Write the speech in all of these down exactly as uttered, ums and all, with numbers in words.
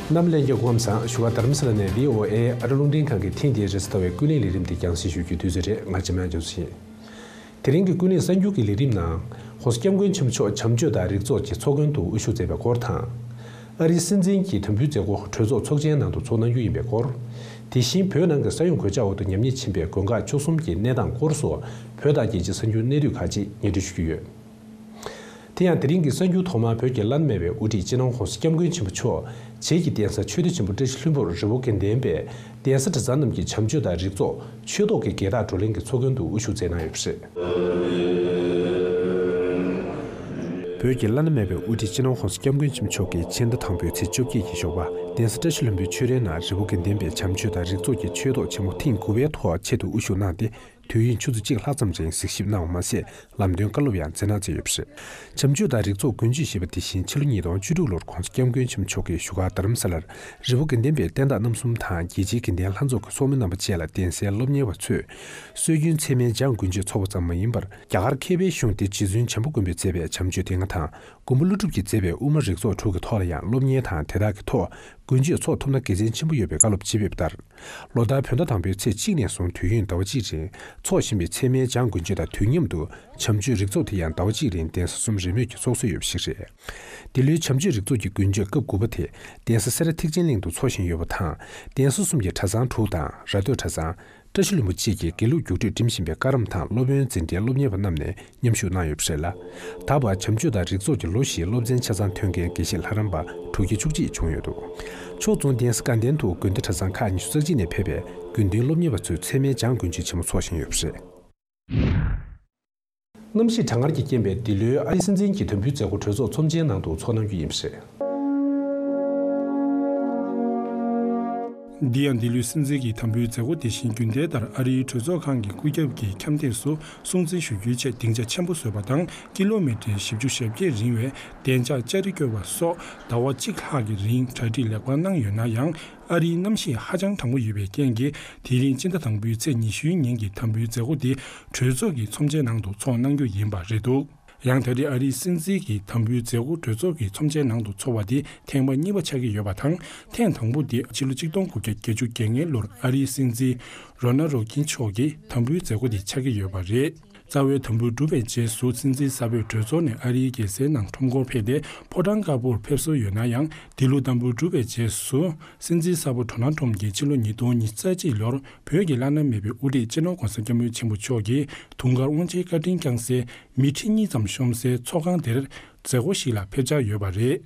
རྣམ་ལྷན་རྒྱས་སྐུ་ཁམས་བཟང་། བཞུགས་སྒར་རྡ་རམ་ས་ལ་ནས་བྷི་ཨོ་ཨེ་ཨ་རི་རླུང་འཕྲིན་ཁང་གི་ཐེངས་འདིའི་རེས་གཟའ་ཟླ་བའི་ཀུན་གླེང་ལས་རིམ་འདི་རྒྱང་སྲིང་ཞུ་རྒྱུའི་དུས་ཚོད་རེད། ང་འཆི་མེད་ལགས་འཇུ་ཞིང་། དེ་རིང་གི་ཀུན་གླེང་གསར་འགྱུར་གྱི་ལས་རིམ་ནང་༸གོང་ས་༸སྐྱབས་མགོན་ཆེན་པོ་མཆོག་བྱམས་ཆོས་དང་རིག་གཙོ་གི་ཚོགས་མགོན་དུ་དབུ་བཞུགས་མཛད་པའི་སྐོར་དང་། ཨ་རིའི་སྲིད་འཛིན་གྱི་དམ་འབུལ་མཛད་སྒོ་གྲོས་ཚོགས་ཚོགས་ཆེན་ནང་དུ་ཚོགས་གནང་རྒྱུ་ཡིན་པའི་སྐོར། དེ་བཞིན་བོད་ནང་གི་ས་ཡོམ་གོད་ཆག་འོག་ཏུ་ཉམས་ཉེས་ཕྱིན་པའི་དགོན་ཁག་བཅུ་གསུམ་གྱི་གནས་སྟངས་སྐོར་སོགས་བོད་དང་རྒྱལ་སྤྱིའི་གསར་འགྱུར་གནད་བསྡུས་ཁག་ཅིག་སྙན་སྒྲོན་ཞུ་རྒྱུ་ཡོད། དེ་ཡང་དེ་རིང་གི་གསར་འགྱུར་ཐོག་མར་བོད་ཀྱི་བླ་ན་མེད་པའི་དབུ་ཁྲིད་སྤྱི་ནོར་༸གོང་ས་༸སྐྱབས་མགོན་ཆེན་པོ་མཆོག་བྱེས་ཀྱི་གདན་ས་ཆོས་སྡེ་ཆེན་པོ་བཀྲ་ཤིས་ལྷུན་པོར་རི་བོ་དགེ་ལྡན་པའི་གདན་ས་གྲྭ་ཚང་རྣམས་ཀྱི་བྱམས་ཆོས་དང་རིག་གཙོ་ཆོས་ཐོག་གི་རྒྱལ་དར་བགྲོ་གླེང་གི་ཚོགས་མགོན་དུ་དབུ་བཞུགས་མཛད་གནང་ཡོད་པ་རེད། བོད་ཀྱི་བླ་ན་མེད་པའི་དབུ་ཁྲིད་སྤྱི་ནོར་༸གོང་ས་༸སྐྱབས་མགོན་ཆེན་པོ་མཆོག་གིས་ཕྱི་ཟླ་དང་པོའི་ཚེས་བཅོ་བརྒྱད་ཀྱི་ཞོགས་པ་གདན་ས་བཀྲ་ཤིས་ལྷུན་པོའི་ཆོས་རའི་ནང་རི་བོ་དགེ་ལྡན་པའི་བྱམས་ཆོས་དང་རིག་གཙོ་གི་ཆོས་ཐོག་ཆེན་མོ་ཐེངས་དགུ་པའི་ཐོག་ཆེད་དུ་དབུ་བཞུགས་གནང་སྟེ། དུས་ཡུན་ཆུ་ཚོད་གཅིག་ལྷག་ཙམ་རིང་གཟིགས་ཞིབ་གནང་བ་མ་ཟད། ལམ་སྟོན་བཀའ་སློབ་ཡང་སྩལ་གནང་མཛད་ཡོད་པ་རེད། བྱམས་ཆོས་དང་རིག་གཙོ་ཀུན་སྤྱོད་ཞེས་པ་དེ་བཞིན་ཕྱི་ལོ་ཉིས་སྟོང་བཅུ་དྲུག་ལོར་༸གོང་ས་༸སྐྱབས་མགོན་ཆེན་པོ་མཆོག་གིས་བཞུགས་སྒར་རྡ་རམ་ས་ལར་རི་བོ་དགེ་ལྡན་པའི་བསྟན་བདག་རྣམ་གསུམ་དང་རྒྱལ་སྤྱིའི་དགེ་ལྡན་ལྷན་ཚོགས་ཀྱི་ཚོགས་མི་རྣམ་པ་བཅས་ལ་གདན་སའི་སློབ་གཉེར་བ་ཚོས་སྲོལ་རྒྱུན་ཚད་མའི་སྦྱངས་དགུན་ཆོས་འཚོགས་པ་ཙམ་མ་ཡིན་པར། རྒྱ་གར་མཁས་པའི་གཞུང་སྡེ་རྗེ་བཙུན་བྱམས་པ་མགོན་པོས་མཛད་པའི་བྱམས་ཆོས་སྡེ་ལྔ་དང་། མགོན་པོ་ཀླུ་སྒྲུབ་ཀྱིས་མཛད་པའི་དབུ་མ་རིག་ཚོགས་དྲུག་གི་ཐོག་ལ་ཡང་སློབ་གཉེར་དང་དེ་དག་གི་ཐོག་དགུན་ཆོས་འཚོགས་ཐུབ་ན་དགེ་མཚན་ཆེན་པོ་ཡོད་པའི་བཀའ་སློབ་ཅིག་ཕེབས་པ་ལྟར། ལོ་ལྟར་བོད་ཟླ་དང་པོའི་ཚེས་གཅིག་ནས་བཟུང་དུས་ཡུན་ཟླ་བ་གཅིག་རིང་འཚོགས་བཞིན་པའི་ཚད་མའི་སྦྱངས་དགུན་ཆོས་དང་དུས་མཉམ་དུ་བྱམས་ཆོས་རིག་ཚོགས་དེ་ཡང་ཟླ་བ་གཅིག་རིང་གདན་ས་གསུམ་རེས་མོས་ཀྱིས་འཚོགས་སྲོལ་ཡོད་པ་ཞིག་རེད། འདི་ལོའི་བྱམས་ཆོས་རིག་ཚོགས་ཀྱི་དགུན་ཆོས་སྐབས་དགུ་པ་དེ་གདན་ས་སེ་ར་ཐེག་ཆེན་གླིང་དུ་འཚོགས་བཞིན་ཡོད་པ་དང་། གདན་ས་གསུམ་གྱི་གྲྭ་ཚང་དྲུག་དང་ར་སྟོད་གྲྭ་ཚང་། བཀྲ་ཤིས་ལྷུན་པོ་བཅས་ཀྱི་དགེ་ལུགས་རྒྱུགས་སྤྲོད་འགྲིམ་བཞིན་པའི་བཀའ་རམས་དང་སློབ་དཔོན་འཛིན་གྲྭའི་སློབ་གཉེར་བ་རྣམས་ནས་མཉམ་ཞུགས་གནང་ཡོད་པ་རེད་ལ། ད་བར་བྱམས་ཆོས་དང་རིག་གཙོ་གི་ལོ་བཞིའི་སློབ་ཚན་ཆ་ཚང་ཐོན་མཁན་དགེ་བཤེས་ལྷ་རམས་པ་དྲུག་བརྒྱ་བཅུ་གཅིག་བྱུང་ཡོད་འདུག་ཕྱོགས་མཚུངས་གདན་ས་དགའ་ལྡན་དུ་དགོན་སྡེ་གྲྭ་ཚང་ཁག་ཉི་ཤུ་རྩ་གཅིག་ནས་ཕེབས་པའི་དགེ་འདུན་སློབ་གཉེར་བ་ཚོས་ཚད་མའི་སྦྱངས་དགུན་ཆོས་ཆེན་མོ་འཚོགས་བཞིན་ཡོད་པ་རེད། གནམ་གཤིས་གྲང་ངར་གྱི་རྐྱེན་པས་འདི་ལོའི་ཨ་རིའི་སྲིད་འཛིན་གྱི་དམ་འབུལ་མཛད་སྒོ་གྲོས་ཚོགས་ཚོམས་ཆེན་ནང་དུ་འཚོགས་གནང་རྒྱུ་ཡིན་པ་རེད། འདི་ཡང་འདི་ལོའི་སྲིད་འཛིན་གྱི་དམ་འབུལ་མཛད་སྒོ་དེ་བཞིན་རྒྱུན་ལྡན་ལྟར་ཨ་རིའི་གྲོས་ཚོགས་ཁང་གི་སྐུ་རྒྱབ་ཀྱི་འཁྱམས་སྟེགས་སུ་སྲུང་བརྩི་ཞུ་རྒྱུའི་ཆེད་སྡིངས་ཆ་ཆེན་པོ་བཟོས་པ་དང་། ཀི་ལོ་མི་ཊར་བཞི་བཅུ་ཞེ་བརྒྱད་རིང་བའི་བདེ་འཇགས་ལྕགས་རི་བསྐྱོར་བ་སོགས་ཟླ་བ་གཅིག་ལྷག་གི་རིང་གྲ་སྒྲིག་ལེགས་པར་གནང་ཡོད་ན་ཡང་། ཨ་རིའི་གནམ་གཤིས་ཧ་ཅང་གྲང་མོ་ཡོད་པའི་རྐྱེན་གྱིས། དེ་རིང་སྤྱི་ཟླ་དང་པོའི་ཚེས་ཉི་ཤུའི་ཉིན་གྱི་དམ་འབུལ་མཛད་སྒོ་དེ་གྲོས་ཚོགས་ཀྱི་ཚོམས་ཆེན་ནང་དུ་འཚོགས་གནང་རྒྱུ་ཡིན་པ་རེད་འདུག་ཡང་ད་རེས་ཨ་རིའི་སྲིད་འཛིན་གྱི་དམ་འབུལ་མཛད་སྒོ་གྲོས་ཚོགས་ཀྱི་ཚོམས་ཆེན་ནང་དུ་འཚོགས་པ་དེ་ཐེངས་མ་གཉིས་པ་ཆགས་ཀྱི་ཡོད་པ་དང་། ཐེངས་དང་པོ་དེ་ཕྱི་ལོ་ཆིག་སྟོང་དགུ་བརྒྱ་བརྒྱད་ཅུ་གྱ་ལྔ་ལོར་ཨ་རིའི་སྲིད་འཛིན་རོ་ན་རོ་ཀིན་མཆོག་གི་དམ་འབུལ་མཛད་སྒོ་དེ་ཆགས་ཀྱི་ཡོད་པ་རེད། རྩ་བའི་དམ་འབུལ་གྲུབ་པའི་རྗེས་སུ་སྲིད་འཛིན་གསར་པས་གྲོས་ཚོགས་ནས་ཨ་རིའི་རྒྱལ་སའི་ནང་ཁྲོམ་སྐོར་ཕེབས་ཏེ་ཕོ་བྲང་དཀར་པོར་ཕེབས་སྲོལ་ཡོད་ན་ཡང་། འདི་ལོ་དམ་འབུལ་གྲུབ་པའི་རྗེས་སུ་སྲིད་འཛིན་གསར་པ་ཌོ་ནལ་ཊམ་གྱིས་ཕྱི་ལོ་ཉིས་སྟོང་ཉི་ཤུ་རྩ་གཅིག་ལོར་བོད་ཀྱི་བླ་ན་མེད་པའི་དབུ་ཁྲིད་སྤྱི་ནོར་༸གོང་ས་༸སྐྱབས་མགོན་ཆེན་པོ་མཆོག་གིས་དུང་དཀར་དབང་ཆེན་བཀའ་དྲིན་བསྐྱངས་སའི་མི་ཁྲི་གཉིས་ཙམ་ཤོང་སའི་ཚོགས་ཁང་དེར་མཛད་སྒོ་ཞིག་ལ་ཕེབས་འཆར་ཡོད་པ་རེད།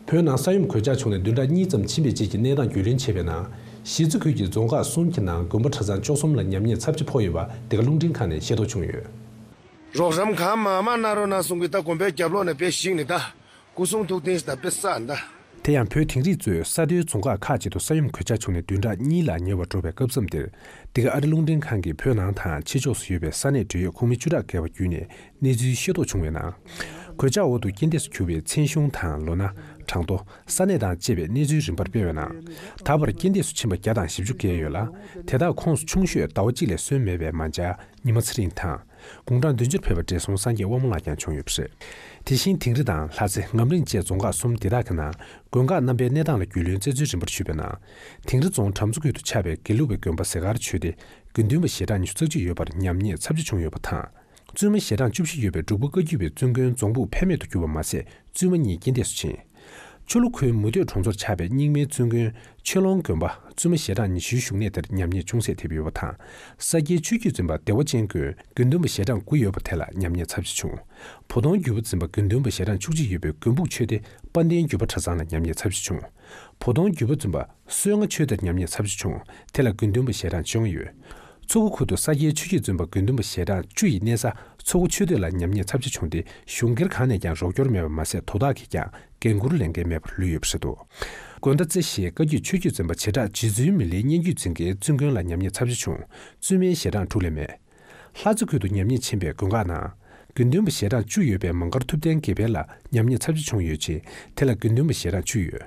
བོད་ནང་ས་ཡོམ་གོད་ཆག་བྱུང་ནས་བདུན་ཕྲག་གཉིས་ཙམ་ཕྱིན་པའི་རྗེས་ཀྱི་གནས་སྟངས་རྒྱུས་ལོན་བྱས་པའི་ནང་། གཞིས་རྩེ་ཁུལ་གྱི་རྫོང་ཁག་གསུམ་གྱི་ནང་དགོན་པ་གྲྭ་ཚང་བཅུ་གསུམ་ལ་ཉམས་ཉེས་ཚབས་ཆེ་ཕོག་ཡོད་པ་འདི་ག་རླུང་འཕྲིན་ཁང་ནས་ཤེས་རྟོགས་བྱུང་ཡོད། རོགས་རམ་གང་མང་མང་གནང་རོགས་གནང་གསུང་གི། ད་དགོན་པའི་རྒྱབ་ལོགས་ནས་དཔེ་ཞིག་ནི་ད་སྐུ་གསུང་ཐུགས་རྟེན་ཞིག་ད་དཔེ་བསགས་ད། དེ་ཡང་བོད་དིང་རི་གཙོས་ས་མཐོའི་རྫོང་ཁག་ཁག་ཅིག་ཏུ་ས་ཡོམ་གོད་ཆག་བྱུང་ནས་བདུན་ཕྲག་གཉིས་ལ་ཉེ་བར་འགྲོ་བའི་སྐབས་མཚམས་འདིར། འདི་ག་ཨ་རི་རླུང་འཕྲིན་ཁང་གིས་བོད་ནང་དང་ཕྱི་ཕྱོགས་སུ་ཡོད་པའི་ས་གནས་འབྲེལ་ཡོད་ཁོངས་མི་བཅུ་ཕྲག་བརྒལ་བ་བརྒྱུད་ནས། གནས་ཚུལ་ཤེས་རྟོགས་བྱུང་བའི་ནང་། གོད་ཆག་འོག་ཏུ་རྐྱེན་འདས་སུ་གྱུར་བའི་མཚན་གཞུང་དང་ལོ་ན། གྲངས་ཐོ། ས་གནས་དང་བཅས་པའི་གནས་ཚུལ་རིམ་པར་སྤེལ་བའི་ནང་། ད་བར་རྐྱེན་འདས་སུ་ཕྱིན་པ་བརྒྱ་དང་བཞི་བཅུ་བརྒལ་ཡོད་ལ། དེ་དག་ཁོངས་སུ་ཆུང་ཤོས་ཟླ་བ་གཅིག་ལས་སོན་མེད་པའི་མ་འཇར་ཉི་མ་ཚེ་རིང་དང་། དགུང་གྲངས་བདུན་ཅུར་ཕེབས་པ་བགྲེས་སོང་སངས་རྒྱས་དབང་མོ་ལགས་ཀྱང་བྱུང་ཡོད་པ་རེད། དེ་བཞིན་དིང་རི་དང་ལྷ་རྩེ་ངམ་རིང་བཅས་རྫོང་ཁག་གསུམ་འདི་དག་གི་ནང་དགོན་ཁག་རྣམ་པའི་གནས་སྟངས་ལ་རྒྱུས་ལོན་བཙལ་འཚོལ་རིམ་པར་ཞུས་པའི་ནང་། དིང་རི་རྫོང་གྲམ་མཚོ་ཁུལ་དུ་ཆགས་པའི་དགེ་ལུགས་པའི་དགོན་པ་ཟས་དཀར་ཆོས་སྡེ་དགེ་འདུན་པ་ཞལ་གྲངས་ཉི་ཤུ་རྩ་གཅིག་ཡོད་པར་ཉམས་ཉེས་ཚབས་ཆེ་བྱུང་ཡོད་པ་དང་། བཙུན་མ་ཞལ་གྲངས་བཅུ་བཞི་ཡོད་པའི་འབྲུག་པ་བཀའ་བརྒྱུད་པའི་བཙུན་དགོན་རྫོང་ཕུག་ཕན་མེད་དུ་གྱུར་པ་མ་ཟད། བཙུན་མ་གཉིས་རྐྱེན་འདས་སུ་ཕྱིན། ཆུ་ལུ་ཁུལ་མུ་སྟོད་གྲོང་ཚོར་ཆགས་པའི་རྙིང་མའི་བཙུན་དགོན་ཆོས་ལོང་དགོན་པ་བཙུན་མ་ཞལ་གྲངས་ཉི་ཤུའི་བཞུགས་གནས་དེར་ཉམས་ཉེས་ཅུང་ཟད་ཐེབས་ཡོད་པ་དང་། ས་སྐྱའི་ཆོས་བརྒྱུད་འཛིན་པ་བདེ་བ་ཅན་དགོན་དགེ་འདུན་པ་ཞལ་གྲངས་དགུ་ཡོད་པ་དེ་ལ་ཉམས་ཉེས་ཚབས་ཆེ་བྱུང་། བོ་དོང་བརྒྱུད་པ་འཛིན་པ་དགེ་འདུན་པ་ཞལ་གྲངས་བཅུ་གཅིག་ཡོད་པའི་དགོན་ཕུག་ཆོས་སྡེ་དཔལ་ལྡན་བརྒྱུད་པ་གྲྭ་ཚང་ལ་ཉམས་ཉེས་ཚབས་ཆེ་བྱུང་། བོ་དོང་བརྒྱུད་པ་འཛིན་པ་བསོད་ལྔ་ཆོས་སྡེར་ཉམས་ཉེས་ཚབས་ཆེ་བྱུང་། དེ་ལ་དགེ་འདུན་པ་ཞལ་གྲངས་བཅོ་ལྔ་ཡོད། མཚོ་སྒོ་ཁུལ་དུ་ས་སྐྱའི་ཆོས་བརྒྱུད་འཛིན་པ་དགེ་འདུན་པ་ཞལ་གྲངས་བཅུ་ཡི་གནས་ས་མཚོ་སྒོ་ཆོས་སྡེ་ལ་ཉམས་ཉེས་ཚབས་ཆེ་བྱུང་སྟེ། གཞུང་སྒེར་གང་ནས་ཀྱང་རོགས་སྐྱོར་མེད་པ་མ་ཟད། དོ་བདག་གིས་ཀྱང་འགན་འཁུར་ལེན་མཁན་མེད་པར་ལུས་ཡོད་པ་རེད་འདུག་དགོན་མདའ་རྩེ་ཞེས་བཀའ་བརྒྱུད་ཆོས་བརྒྱུད་འཛིན་པ་བྱེ་བྲག་རྗེ་བཙུན་མི་ལའི་སྙན་བརྒྱུད་འཛིན་མཁན་བཙུན་དགོན་ལ་ཉམས་ཉེས་ཚབས་ཆེ་བྱུང་། བཙུན་མའི་ཞལ་གྲངས་དྲུག་ལས་མེད། ལྷ་རྩེ་ཁུལ་དུ་ཉམས་ཉེས་ཕྱིན་པའི་དགོན་ཁག་ནང་། དགེ་འདུན་པ་ཞལ་གྲངས་བཅུ་ཡོད་པའི་མང་མཁར་ཐུབ་བསྟན་དགེ་འཕེལ་ལ་ཉམས་ཉེས་ཚབས་ཆེ་བྱུང་ཡོད་ཅིང་། དེ་ལ་དགེ་འདུན་པ་ཞལ་གྲངས་བཅུ་ཡོད།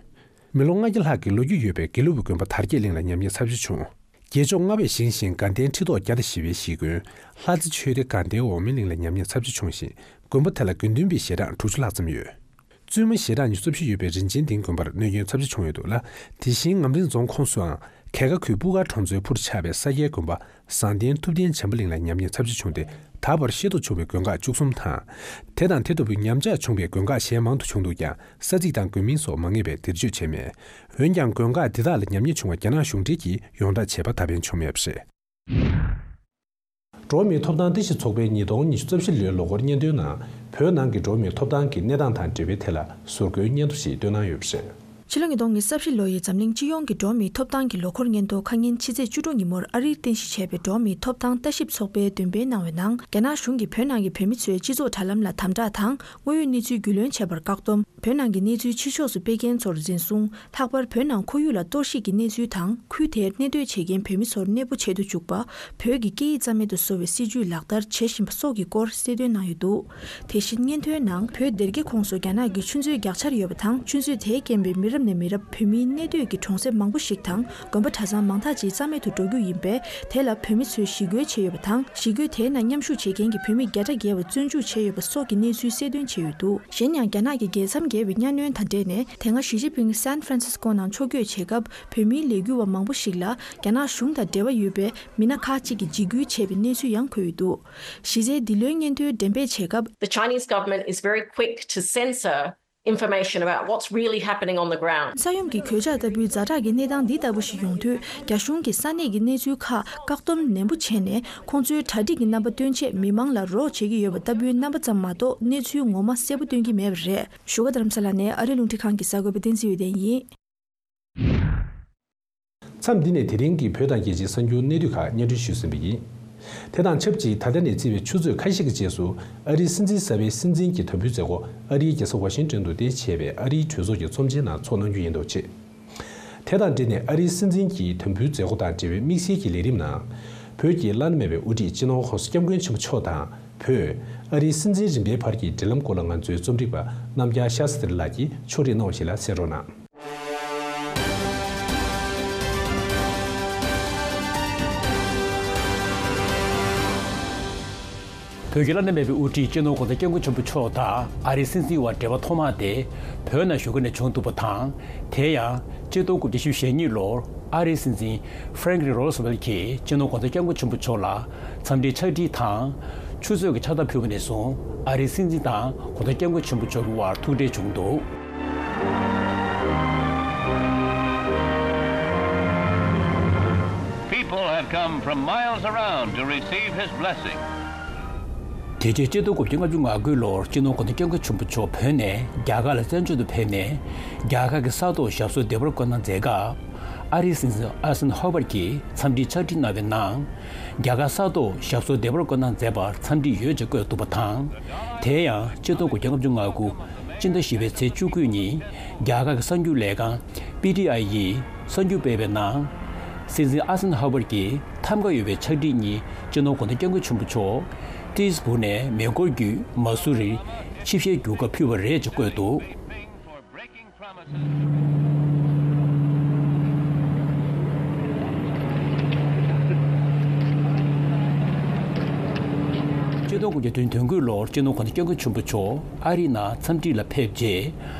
མི་ལོ་ལྔ་བརྒྱ་ལྷག་གི་ལོ་རྒྱུས་ཡོད་པའི་དགེ་ལུགས་པའི་དགོན་པ་དར་རྒྱས་གླིང་ལ་ཉམས་ཉེས་ཚབས་ཆེ་བྱུང་། རྒྱལ་མཆོག་ལྔ་པས་བཞེངས་ཤིང་དགའ་ལྡན་ཁྲི་ཐོག་བརྒྱ་དང་བཞི་པའི་གཞིས་དགོན་ལྷ་རྩེ་ཆོས་སྡེ་དགའ་ལྡན་འོག་མིན་གླིང་ལ་ཉམས་ཉེས་ཚབས་ཆེ་བྱུང་ཞིང་། དགོན་པ་དེ་ལ་དགེ་འདུན་པའི་ཞལ་གྲངས་དྲུག་ཅུ་ལྷག་ཙམ་ཡོད། བཙུན་མ་ཞལ་གྲངས་ཉི་ཤུ་རྩ་བཞི་ཡོད་པའི་རིན་ཆེན་ལྡིང་དགོན་པར་གནོད་སྐྱོན་ཚབས་ཆེ་བྱུང་ཡོད་འདུག་ལ། དེ་བཞིན་ངམ་རིང་རྫོང་ཁོངས་སུའང་གྱལ་ཁ་ཁུལ་སྤུ་ཁ་གྲོང་ཚོའི་ཕུར་ཆགས་པའི་ས་སྐྱའི་དགོན་པ་བཟང་ལྡན་ཐུབ་བསྟན་བྱམས་པ་གླིང་ལ་ཉམས་ཉེས་ཚབས་ཆེ་བྱུང་སྟེ། ད་བར་ཤེས་རྟོགས་བྱུང་བའི་དགོན་ཁག་བཅུ་གསུམ་དང་། དེ་དང་དེ་ལྟ་བུའི་ཉམས་ཆག་བྱུང་བའི་དགོན་ཁག་གཞན་མང་དུ་བྱུང་འདུག་ཀྱང་ས་ཚིགས་དང་དགོན་མིང་སོགས་མ་ངེས་པས་འདིར་བརྗོད་བྱས་མེད། འོན་ཀྱང་དགོན་ཁག་འདི་དག་ལ་ཉམས་ཉེས་བྱུང་བ་རྒྱ་ནག་གཞུང་འབྲེལ་གྱིས་ཡོངས་བསྒྲགས་བྱས་པ་ད་ཕན་བྱུང་མེད་པ་རེད། འགྲོ་བ་མིའི་ཐོབ་ཐང་ལྟ་ཞིབ་ཚོགས་པའི་ཉིས་སྟོང་ཉི་ཤུ་རྩ་བཞི་ལོའི་ལོ་འཁོར་སྙན་ཐོའི་ནང་བོད་ནང་གི་འགྲོ་བ་མིའི་ཐོབ་ཐང་གི་གནས་སྟངས་དང་འབྲེལ་བའི་ཐད་ལ་ཟུར་བཀོད་སྙན་ཐོ་ཞིག་བཏོན་གནང་ཡོད་པ་རེད། ཕྱི་ལོ་ཉིས་སྟོང་ཉི་ཤུ་རྩ་བཞི་ལོ་ཡི་འཛམ་གླིང་སྤྱི་ཡོངས་ཀྱི་འགྲོ་བ་མིའི་ཐོབ་ཐང་གི་ལོ་འཁོར་སྙན་ཐོ་ཁ་ཉིན་ཕྱི་ཚེས་བཅུ་དྲུག་ཉིན་མོར་ཨ་རིར་རྟེན་གཞི་བྱས་པའི་འགྲོ་བ་མིའི་ཐོབ་ཐང་ལྟ་ཞིབ་ཚོགས་པས་འདོན་སྤེལ་གནང་བའི་ནང་། རྒྱ་ནག་གཞུང་གིས་བོད་ནང་གི་བོད་མི་ཚོའི་སྤྱི་ཚོགས་དྲ་ལམ་ལ་དམ་དྲག་དང་། དངོས་ཡོད་གནས་ཚུལ་རྒྱུས་ལོན་བྱེད་པར་བཀག་སྡོམ། བོད་ནང་གི་གནས་ཚུལ་ཕྱི་ཕྱོགས་སུ་སྤེལ་མཁན་ཚོར་འཛིན་བཟུང་། ལྷག་པར་བོད་ནང་ཁོར་ཡུག་ལ་གཏོར་བཤིག་གི་གནས་ཚུལ་དང་། ཁུལ་དེར་གནས་སྡོད་བྱེད་མཁན་བོད་མི་ཚོར་གནས་སྤོ་བྱེད་དུ་འཇུག་པ། བོད་ཀྱི་སྐད་ཡིག་རྩ་མེད་དུ་བཟོ་བའི་སྲིད་ཇུས་ལག་བསྟར་བྱེད་བཞིན་པ་སོགས་ཀྱི་སྐོར་གསལ་སྟོན་གནང་ཡོད་འདུག་དེ་བཞིན་སྙན་ཐོའི་ནང་བོད་སྡེ་དགེ་ཁོངས་སུ་རྒྱ་ནག་གི་ཆུ་མཛོད་རྒྱག་འཆར་ཡོད་པ་དང་། ཆུ་མཛོད་དེའི་རྐྱེན་པས་མི་རབས་ནས་མི་རབས་བོད་མིའི་གནས་སྡོད་ཀྱི་གྲོང་གསེབ་མང་པོ་ཞིག་དང་། དགོན་པ་གྲྭ་ཚང་མང་དག་ཅིག་རྩ་མེད་དུ་འགྲོ་རྒྱུ་ཡིན་པས། དེ་ལ་བོད་མི་ཚོས་ཞི་རྒོལ་བྱས་ཡོད་པ་དང་། ཞི་རྒོལ་དེའི་ནང་མཉམ་ཞུགས་བྱེད་མཁན་གྱི་བོད་མི་བརྒྱ་ཕྲག་བརྒལ་བ་བཙོན་འཇུག་བྱས་ཡོད་པ་སོགས་ཀྱི་གནས་ཚུལ་གསལ་སྟོན་བྱས་ཡོད་འདུག་གཞན་ཡང་། རྒྱ་ནག་གི་རྒྱལ་མཚམས་བརྒལ་བའི་གཉའ་གནོན་དང་འབྲེལ་ནས། དེ་སྔ་ཞི་ཅིན་ཕིང་སན་ཧྥ་རན་སིས་ཀོ་ནང་ཕྱོགས་བསྐྱོད་བྱེད་སྐབས། བོད་མིའི་ལས་འགུལ་བ་མང་པོ་ཞིག་ལ་རྒྱ་ནག་གཞུང་དང་འབྲེལ་བ་ཡོད་པའི་མི་སྣ་ཁག་ཅིག་གིས་འཇིགས་སྐུལ་བྱས་པའི་གནས་ཚུལ་ཡང་འཁོད་ཡོད་འདུག་གཞི་རྩའི་འདི་ལོའི་སྙན་ཐོའི་འགྲེམས་སྤེལ་བྱེད་སྐབས། The Chinese government is very quick to censor information about what's really happening on the ground. ས་ཡོམ་གྱི་གོད་ཆག་ལྟ་བུའི་ཛ་དྲག་གི་གནས་སྟངས་འདི་ལྟ་བུ་ཞིག་ཡོང་དུས། རྒྱ་གཞུང་གིས་ས་གནས་ཀྱི་གནས་ཚུལ་ཁག་བཀག་སྡོམ་ནན་པོ་བྱས་ནས། ཁོང་ཚོའི་གྲ་སྒྲིག་གི་རྣམ་པ་སྟོན་ཆེད་མི་མང་ལ་རོགས་བྱེད་ཀྱི་ཡོད་པ་ལྟ་བུའི་རྣམ་པ་ཙམ་མ་གཏོགས། གནས་ཚུལ་ངོ་མ་གསལ་པོ་སྟོན་གྱི་མེད་པ་རེད། བཞུགས་སྒར་རྡ་རམ་ས་ལ་ནས་ཨ་རིའི་རླུང་འཕྲིན་ཁང་གི་གསར་འགོད་པ་བསྟན་འཛིན་འོད་ལྡན་ཡིན། མཚམས་འདི་ནས་དེ་རིང་གི་བོད་དང་རྒྱལ་སྤྱིའི་གསར་འགྱུར་གནད་བསྡུས་ཁག་སྙན་སྒྲོན་ཞུས་ཟིན་པ་ཡིན། དེ་དང་ཆབས་ཅིག་ད་ལྟ་ནས་བརྩིས་པའི་ཆུ་ཚོད་ཁ་ཤས་ཀྱི་རྗེས་སུ་ཨ་རིའི་སྲིད་འཛིན་གསར་པའི་སྲིད་འཛིན་གྱི་དམ་འབུལ་མཛད་སྒོ་ཨ་རིའི་རྒྱལ་ས་ཝ་ཤིང་ཏོན་དུ་རྟེན་གཞི་བྱས་པའི་ཨ་རིའི་གྲོས་ཚོགས་ཀྱི་ཚོམས་ཆེན་ནང་ཚོགས་གནང་རྒྱུ་ཡིན་འདུག་ཅེས། དེ་དང་འབྲེལ་ནས་ཨ་རིའི་སྲིད་འཛིན་གྱི་དམ་འབུལ་མཛད་སྒོ་དང་འབྲེལ་བའི་དམིགས་བསལ་གྱི་ལས་རིམ་ནང་། བོད་ཀྱི་བླ་ན་མེད་པའི་དབུ་ཁྲིད་སྤྱི་ནོར་༸གོང་ས་༸སྐྱབས་མགོན་ཆེན་པོ་མཆོག་དང་། བོད་ཨ་རིའི་སྲིད་འཛིན་རིམ་པའི་བར་གྱི་འབྲེལ་ལམ་སྐོར་ལ་ང་ཚོའི་རྩོམ་སྒྲིག་པ་རྣམ་རྒྱལ་ཤཱ་སྟྲི་ལགས་ཀྱིས་ཕྱོགས་སྒྲིག་གནང་བ་ཞིག་ལ་གསན་རོགས་གནང་། བོད་ཀྱི་བླ་ན་མེད་པའི་དབུ་ཁྲིད་སྤྱི་ནོར་༸གོང་ས་༸སྐྱབས་མགོན་ཆེན་པོ་མཆོག་དང་ཨ་རིའི་སྲིད་འཛིན་བར་འབྲེལ་བ་ཐོག་མ་དེ་བོད་ནང་བཞུགས་སྒར་ནས་བྱུང་འདུག་པ་དང་། དེ་ཡང་གཅིག་སྟོང་དགུ་བརྒྱ་བཞི་བཅུ་ཞེ་གཉིས་ལོར་ཨ་རིའི་སྲིད་འཛིན་ཧྥ་རན་ཀ་ལིན་རོ་སི་ཝེལ་གྱིས་སྤྱི་ནོར་༸གོང་ས་༸སྐྱབས་མགོན་ཆེན་པོ་མཆོག་ལ་འཚམས་འདྲིའི་ཕྱག་བྲིས་དང་། ཆུ་ཚོད་ཀྱི་ཕྱག་རྟགས་ཕུལ་བ་ནས་བཟུང་ཨ་རིའི་སྲིད་འཛིན་དང་༸གོང་ས་༸སྐྱབས་མགོན་ཆེན་པོ་མཆོག་གི་དབར་ཐུག་འཕྲད་བྱུང་འདུག People have come from miles around to receive his blessing. དེ་རྗེས་གཅིག་སྟོང་དགུ་བརྒྱ་ལྔ་བཅུ་ང་དགུ་ལོར་སྤྱི་ནོར་༸གོང་ས་༸སྐྱབས་མགོན་ཆེན་པོ་མཆོག་བོད་ནས་རྒྱ་གར་ལ་བཙན་བྱོལ་དུ་ཕེབས་ནས། རྒྱ་གར་གྱི་ས་ཐོག་ཞབས་སོར་བདེ་བར་བཀོད་གནང་མཛད་སྐབས། ཨ་རིའི་སྲིད་འཛིན་ཨ་སན་ཧོ་ཝར་གྱིས་འཚམས་འདྲིའི་ཕྱག་བྲིས་གནང་བའི་ནང་། རྒྱ་གར་ས་ཐོག་ཞབས་སོར་བདེ་བར་བཀོད་གནང་མཛད་པར་འཚམས་འདྲི་ཡོད་ཅེས་བཀོད་འདུག་པ་དང་། དེ་ཡང་གཅིག་སྟོང་དགུ་བརྒྱ་ལྔ་བཅུ་ང་དགུ་སྤྱི་ཟླ་བཞི་པའི་ཚེས་བཅུ་དགུ་ཉིན། རྒྱ་གར་གྱི་གསར་འགྱུར་ལས་ཁང་པི་ཊི་ཨའི་ཡིས་གསར་འགྱུར་སྤེལ་བའི་ནང་། སྲིད་འཛིན་ཨ་སན་ཧ་ཝར་གྱིས་ཐམ་ག་ཡོད་པའི་ཕྱག་བྲིས་གཉིས་སྤྱི་ནོར་༸གོང་ས་༸སྐྱབས་མགོན་ཆེན་པོ་མཆོག་ཏིས་བུ་ནས་མེ་འཁོར་བརྒྱུད་མ་སུ་རིར་ཆིབས་ཞལ་བསྒྱུར་སྐབས་ཕུལ་བ་རེད་ཅེས་བཀོད་འདུག་གཅིག་སྟོང་དགུ་བརྒྱ་དོན་དོན་དགུ་ལོར་སྤྱི་ནོར་༸གོང་ས་༸སྐྱབས་མགོན་ཆེན་པོ་མཆོག་ཨ་རིའི་ནང་འཚམས་འདྲི་ལ་ཕེབས་རྗེས།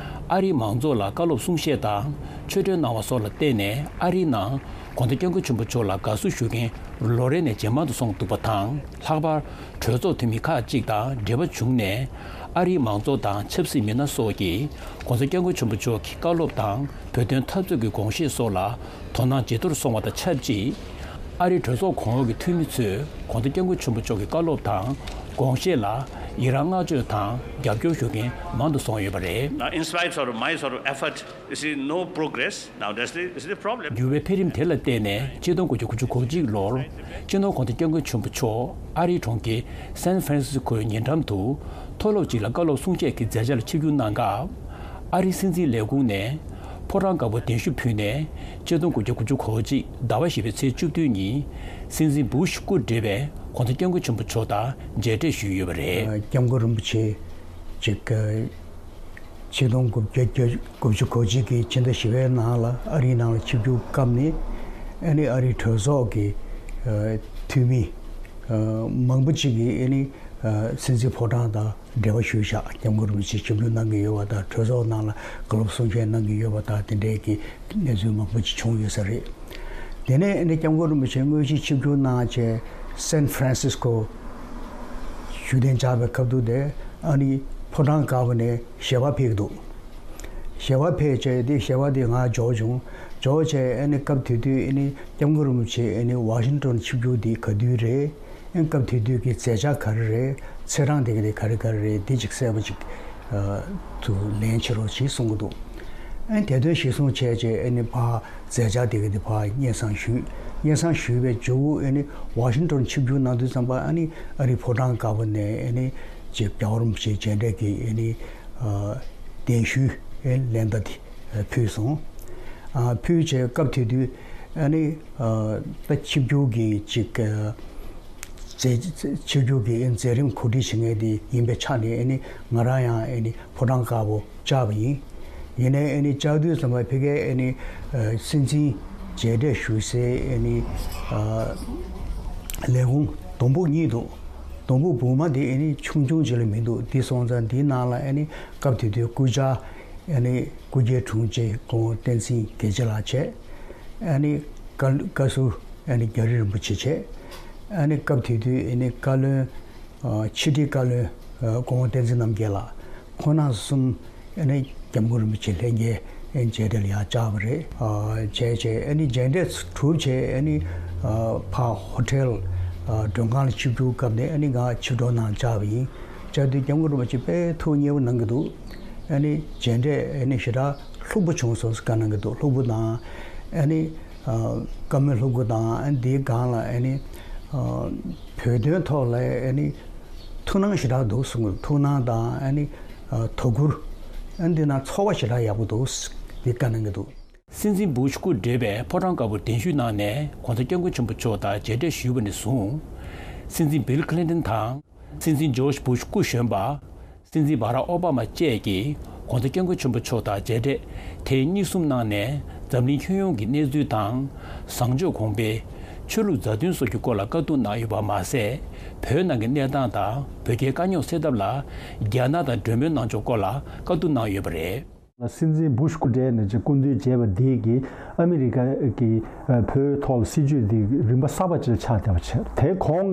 ཨ་རིའི་མང་ཚོགས་ལ་བཀའ་སློབ་གསུང་བཤད་དང་ཆོས་འབྲེལ་གནང་བ་སོགས་ལ་བརྟེན་ནས་ཨ་རིའི་ནང་༸གོང་ས་༸སྐྱབས་མགོན་ཆེན་པོ་མཆོག་ལ་དགའ་བསུ་ཞུ་མཁན་ལོ་རེ་ནས་ཇེ་མང་དུ་སོང་འདུག་པ་དང་། ལྷག་པར་གྲོས་ཚོགས་འཐུས་མི་ཁག་ཅིག་དང་འབྲེལ་བ་བྱུང་ནས། ཨ་རིའི་མང་ཚོགས་དང་ཆབ་སྲིད་མི་སྣ་སོགས་ཀྱིས་༸གོང་ས་༸སྐྱབས་མགོན་ཆེན་པོ་མཆོག་གི་བཀའ་སློབ་དང་བོད་དོན་འཐབ་རྩོད་ཀྱི་དགོངས་བཞེད་སོགས་ལ་དོ་སྣང་ཇེ་མཐོར་སོང་བ་དང་ཆབས་ཅིག་ཨ་རིའི་གྲོས་ཚོགས་གོང་འོག་གི་འཐུས་མི་ཚོས་༸གོང་ས་༸སྐྱབས་མགོན་ཆེན་པོ་མཆོག་གི་བཀའ་སློབ་དང་དགོངས་བཞེད་ལ་ཡི་རང་བསྔགས་བརྗོད་དང་རྒྱབ་སྐྱོར་ཞུ་མཁན་མང་དུ་སོང་ཡོད་པ་རེད། Now, in spite of my sort of effort, you see no progress. Now, that's the, is the problem. འགྱུར་བའི་འཕེལ་རིམ་དེ་ལ་བརྟེན་ནས་གཅིག་སྟོང་དགུ་བརྒྱ་དགུ་བཅུ་གོ་གཅིག་ལོར་སྤྱི་ནོར་༸གོང་ས་༸སྐྱབས་མགོན་ཆེན་པོ་མཆོག་ཨ་རིའི་གྲོང་ཁྱེར་སན་ཧྥ་རན་སིས་ཀོའི་ཉེ་འགྲམ་དུ་མཐོ་སློབ་ཅིག་ལ་བཀའ་སློབ་གསུང་བཤད་ཀྱི་མཛད་འཆར་ལ་ཆིབས་བསྒྱུར་གནང་སྐབས། ཨ་རིའི་སྲིད་འཛིན་ལས་ཁུངས་ནས་ཕོ་བྲང་དཀར་པོར་གདན་ཞུ་ཕུལ་ནས་གཅིག་སྟོང་དགུ་བརྒྱ་དགུ་བཅུ་གོ་གཅིག་ཟླ་བ་བཞི་པའི་ཚེས་བཅུ་བདུན་ཉིན་སྲིད་འཛིན་བུ་ཤི་སྐུ་བགྲེས་པས་༸གོང་ས་༸སྐྱབས་མགོན་ཆེན་པོ་མཆོག་དང་མཇལ་འཕྲད་ཞུས་ཡོད་པ་རེད། སྐྱབས་མགོན་རིན་པོ་ཆེ་ཅིག་ཆིག་སྟོང་དགུ་བརྒྱ་དགུ་བཅུ་གོ་གཅིག་གི་ཕྱི་ཟླ་བཞི་པའི་ནང་ལ་ཨ་རིའི་ནང་ལ་ཆིབས་བསྒྱུར་བཀའ་ནས། ཨ་ནི་ཨ་རིའི་གྲོས་ཚོགས་ཀྱི་འཐུས་མི་མང་པོ་ཅིག་གིས་ཨ་ནི་ ཨ་སྲིད་འཛིན་ཕོ་བྲང་དང་འབྲེལ་བ་ཞུས་བཞག་སྐྱབས་མགོན་རིན་པོ་ཆེ་ཆིབས་བསྒྱུར་གནང་གི་ཡོད་པ་དང་གྲོས་ཚོགས་ནང་ལ་བཀའ་སློབ་གསུང་བཤད་གནང་གི་ཡོད་པ་དང་དེ་འདྲའི་གི་གནས་ཚུལ་མང་པོ་ཅིག་བྱུང་ཡོད་ས་རེད། དེ་ནས་ཨ་ནི་སྐྱབས་མགོན་རིན་པོ་ཆེ་དངོས་གཞིའི་ཆིབས་བསྒྱུར་གནང་བྱས་སན་ཧྥ་རན་སིས་ཀོ་བཞུགས་གདན་འཇགས་པའི་སྐབས་དུས་དེ་ཨ་ནི་ཕོ་བྲང་དཀར་པོ་ནས་ཞལ་པར་ཕེབས་ཀྱི་འདུག་ཞལ་པར་ཕེབས་བྱས་དེ་ཞལ་པར་དེ་ང་འབྱོར་བྱུང་། འབྱོར་བྱས་ཨ་ནི་སྐབས་དེ་དུས་ཨ་ནི་སྐྱབས་མགོན་རིན་པོ་ཆེ་ཨ་ནི་ཝ་ཤིང་ཊོན་ཆིབས་བསྒྱུར་དེ་ག་དུས་རེད། ཨ་ནི་སྐབས་དེ་དུས་ཀྱི་མཛད་འཆར་ག་རེ་རེད། ཚེས་གྲངས་དེ་ག་དེ་ག་རེ་ག་རེ་རེད། དེ་ཅིག་གསལ་པོ་ཅིག་ཨ་དུ་ལན་བྱེད་རོགས་བྱེད་གསུང་གི་འདུག་ཨ་ནི་དེ་དོན་གཞིར་བཟུང་བྱས་བྱས་ཨ་ནི་ཕར་མཛད་འཆར་དེ་ག་དེ་ཕར་སྙན་སེང་ཞུས། སྙན་སེང་ཞུས་པའི་མཇུག་ཨ་ནི་ཝ་ཤིང་ཊོན་ཆིབས་བསྒྱུར་གནང་དུས་ཙམ་པ་ཨ་ནི་ཨ་རིའི་ཕོ་བྲང་དཀར་པོ་ནས་ཨ་ནི་ཅེ་རྒྱལ་བ་རིན་པོ་ཆེ་མཇལ་འཕྲད་ཀྱི་ཨ་ནི་ཨ་གདན་ཞུའི་ཨ་ལན་བརྡ་དེ་ཕུལ་སོང་། ཨ་ཕུལ་བྱས་སྐབས་དེ་དུས་ཨ་ནི་ཨ་ད་ཆིབས་བསྒྱུར་གྱི་ཅིག་ཨ་མཛད་ཆིབས་བསྒྱུར་གྱི་མཛད་རིམ་གོ་སྒྲིག་བྱེད་མཁན་དེ་ཡིན་པའི་ཆ་ནས་ཨ་ནི་ང་རང་ཡང་ཨ་ནི་ཕོ་བྲང་དཀར་པོ་བཅར་བ་ཡིན། ཡིན་ནའི་ཨ་ནི་བཅར་དུས་ཙམ་པ་ཕ་གིའི་ཨ་ནི་ཨ་སྲིད་འཛིན་མཇལ་འཕྲད་ཞུ་སའི་ཨ་ནི་ཨ་ལས་ཁུངས་སྡོང་ཕུག་གཉིས་འདུག་སྡོང་ཕུག་སྦུག་མ་དེ་ཨ་ནི་ཆུང་ཆུང་ཅིག་ལས་མི་འདུག་དེ་སོང་ཙང་དེའི་ནང་ལ་ཨ་ནི་སྐབས་དེ་དུས་སྐུ་བཅར་ཨ་ནི་སྐུ་སྒེར་དྲུང་ཆེ་སྐུ་ངོ་བསྟན་འཛིན་དགེ་བྱེད་ལགས་བྱས། ཨ་ནི་བཀའ་བཀའ་ཟུར་ཨ་ནི་རྒྱ་རི་རིན་པོ་ཆེ་བྱས། ཨ་ནི་སྐབས་དེ་དུས་ཨ་ནི་བཀའ་བློན་ཨ་ཕྱི་དྲིལ་བཀའ་བློན་ཨ་སྐུ་ངོ་བསྟན་འཛིན་རྣམ་རྒྱལ་ལགས། ཁོང་རྣམ་གསུམ་ཨ་ནི་སྐྱབས་མགོན་རིན་པོ་ཆེ་ལྷན་རྒྱས་ཨ་ནི་མཇལ་འཕྲད་ལ་ཡར་བཅར་བ་རེད། ཨ་བྱས་བྱས་ཨ་ནི་མཇལ་འཕྲད་གྲུབ་བྱས་ཨ་ནི་ཨ་ཕར་ཧོ་ཊེལ་ཨ་མགྲོན་ཁང་ལ་ཆིབས་བསྒྱུར་སྐབས་ནས་ཨ་ནི་ང་ཆིབས་གྲོགས་ནང་བཅར་བ་ཡིན། བཅར་དུས་སྐྱབས་མགོན་རིན་པོ་ཆེ་དཔེ་ཐུགས་མཉེས་པོ་གནང་གི་འདུག་ཨ་ནི་མཇལ་འཕྲད་ཨ་ནི་ཞེ་དྲག་ལྷུག་པོ་བྱུང་སོང་ཟེར་བཀའ་གནང་གི་འདུག་ལྷུག་པོ་དང་ཨ་ནི་ཨ་བཀའ་མོལ་ལྷུག་པོ་དང་ཨ་ནི་དེའི་སྒང་ལ་ཨ་ནི་ཨ་བོད་དོན་ཐོག་ལ་ཨ་ནི་ཐུགས་སྣང་ཞེ་དྲག་འདུག་གསུངས། ཐུགས་སྣང་དང་ཨ་ནི་ཨ་དོ་ཁུར་ཨ་ནི་དེ་ནང་ཚོར་བ་ཞེ་དྲག་ཡག་པོ་འདུག་དེ་བཀའ་གནང་གི་འདུག་སྲིད་འཛིན་སྦུ་ཤ་སྐུ་བགྲེས་པས་ཕོ་བྲང་དཀར་པོར་གདན་ཞུས་གནང་ནས་༸གོང་ས་༸སྐྱབས་མགོན་ཆེན་པོ་མཆོག་དང་མཇལ་འཕྲད་ཞུས་པ་ནས་བཟུང་། སྲིད་འཛིན་བིལ་ཁི་ལིན་ཏོན་དང་། སྲིད་འཛིན་ཇོརྗ་སྦུ་ཤ་སྐུ་གཞོན་པ། སྲིད་འཛིན་བྷ་རག་ཨོ་བྷ་མ་བཅས་ཀྱིས་༸གོང་ས་༸སྐྱབས་མགོན་ཆེན་པོ་མཆོག་དང་མཇལ་འཕྲད་ཐེངས་གཉིས་གསུམ་གནང་ནས་འཛམ་གླིང་ཁྱོན་ཡོངས་ཀྱི་གནས་ཚུལ་དང་། བཟང་སྤྱོད་གོང་འཕེལ། ཆོས་ལུགས་མཛའ་མཐུན་སོགས་ཀྱི་སྐོར་ལ་བཀའ་བསྡུར་གནང་ཡོད་པ་མ་ཟད། བོད་ནང་གི་གནས་སྟངས་དང་བོད་རྒྱའི་དཀའ་རྙོག་སེལ་ཐབས་ལ་རྒྱ་ནག་དང་གྲོས་མོལ་གནང་ཕྱོགས་སྐོར་ལ་བཀའ་བསྡུར་གནང་ཡོད་པ་རེད། སྲིད་འཛིན་སྦུ་ཤ་སྐུ་བགྲེས་ནས་ཀྱི་སྐུ་མདུན་མཇལ་བ་འདི་གིས་ཨ་མི་རི་ཀ་གི་བོད་ཐོག་སྲིད་བྱུས་འདི་རིམ་པ་གསར་པ་ཅིག་ཆགས་བསྡད་པ་བྱས། དེ་གོང་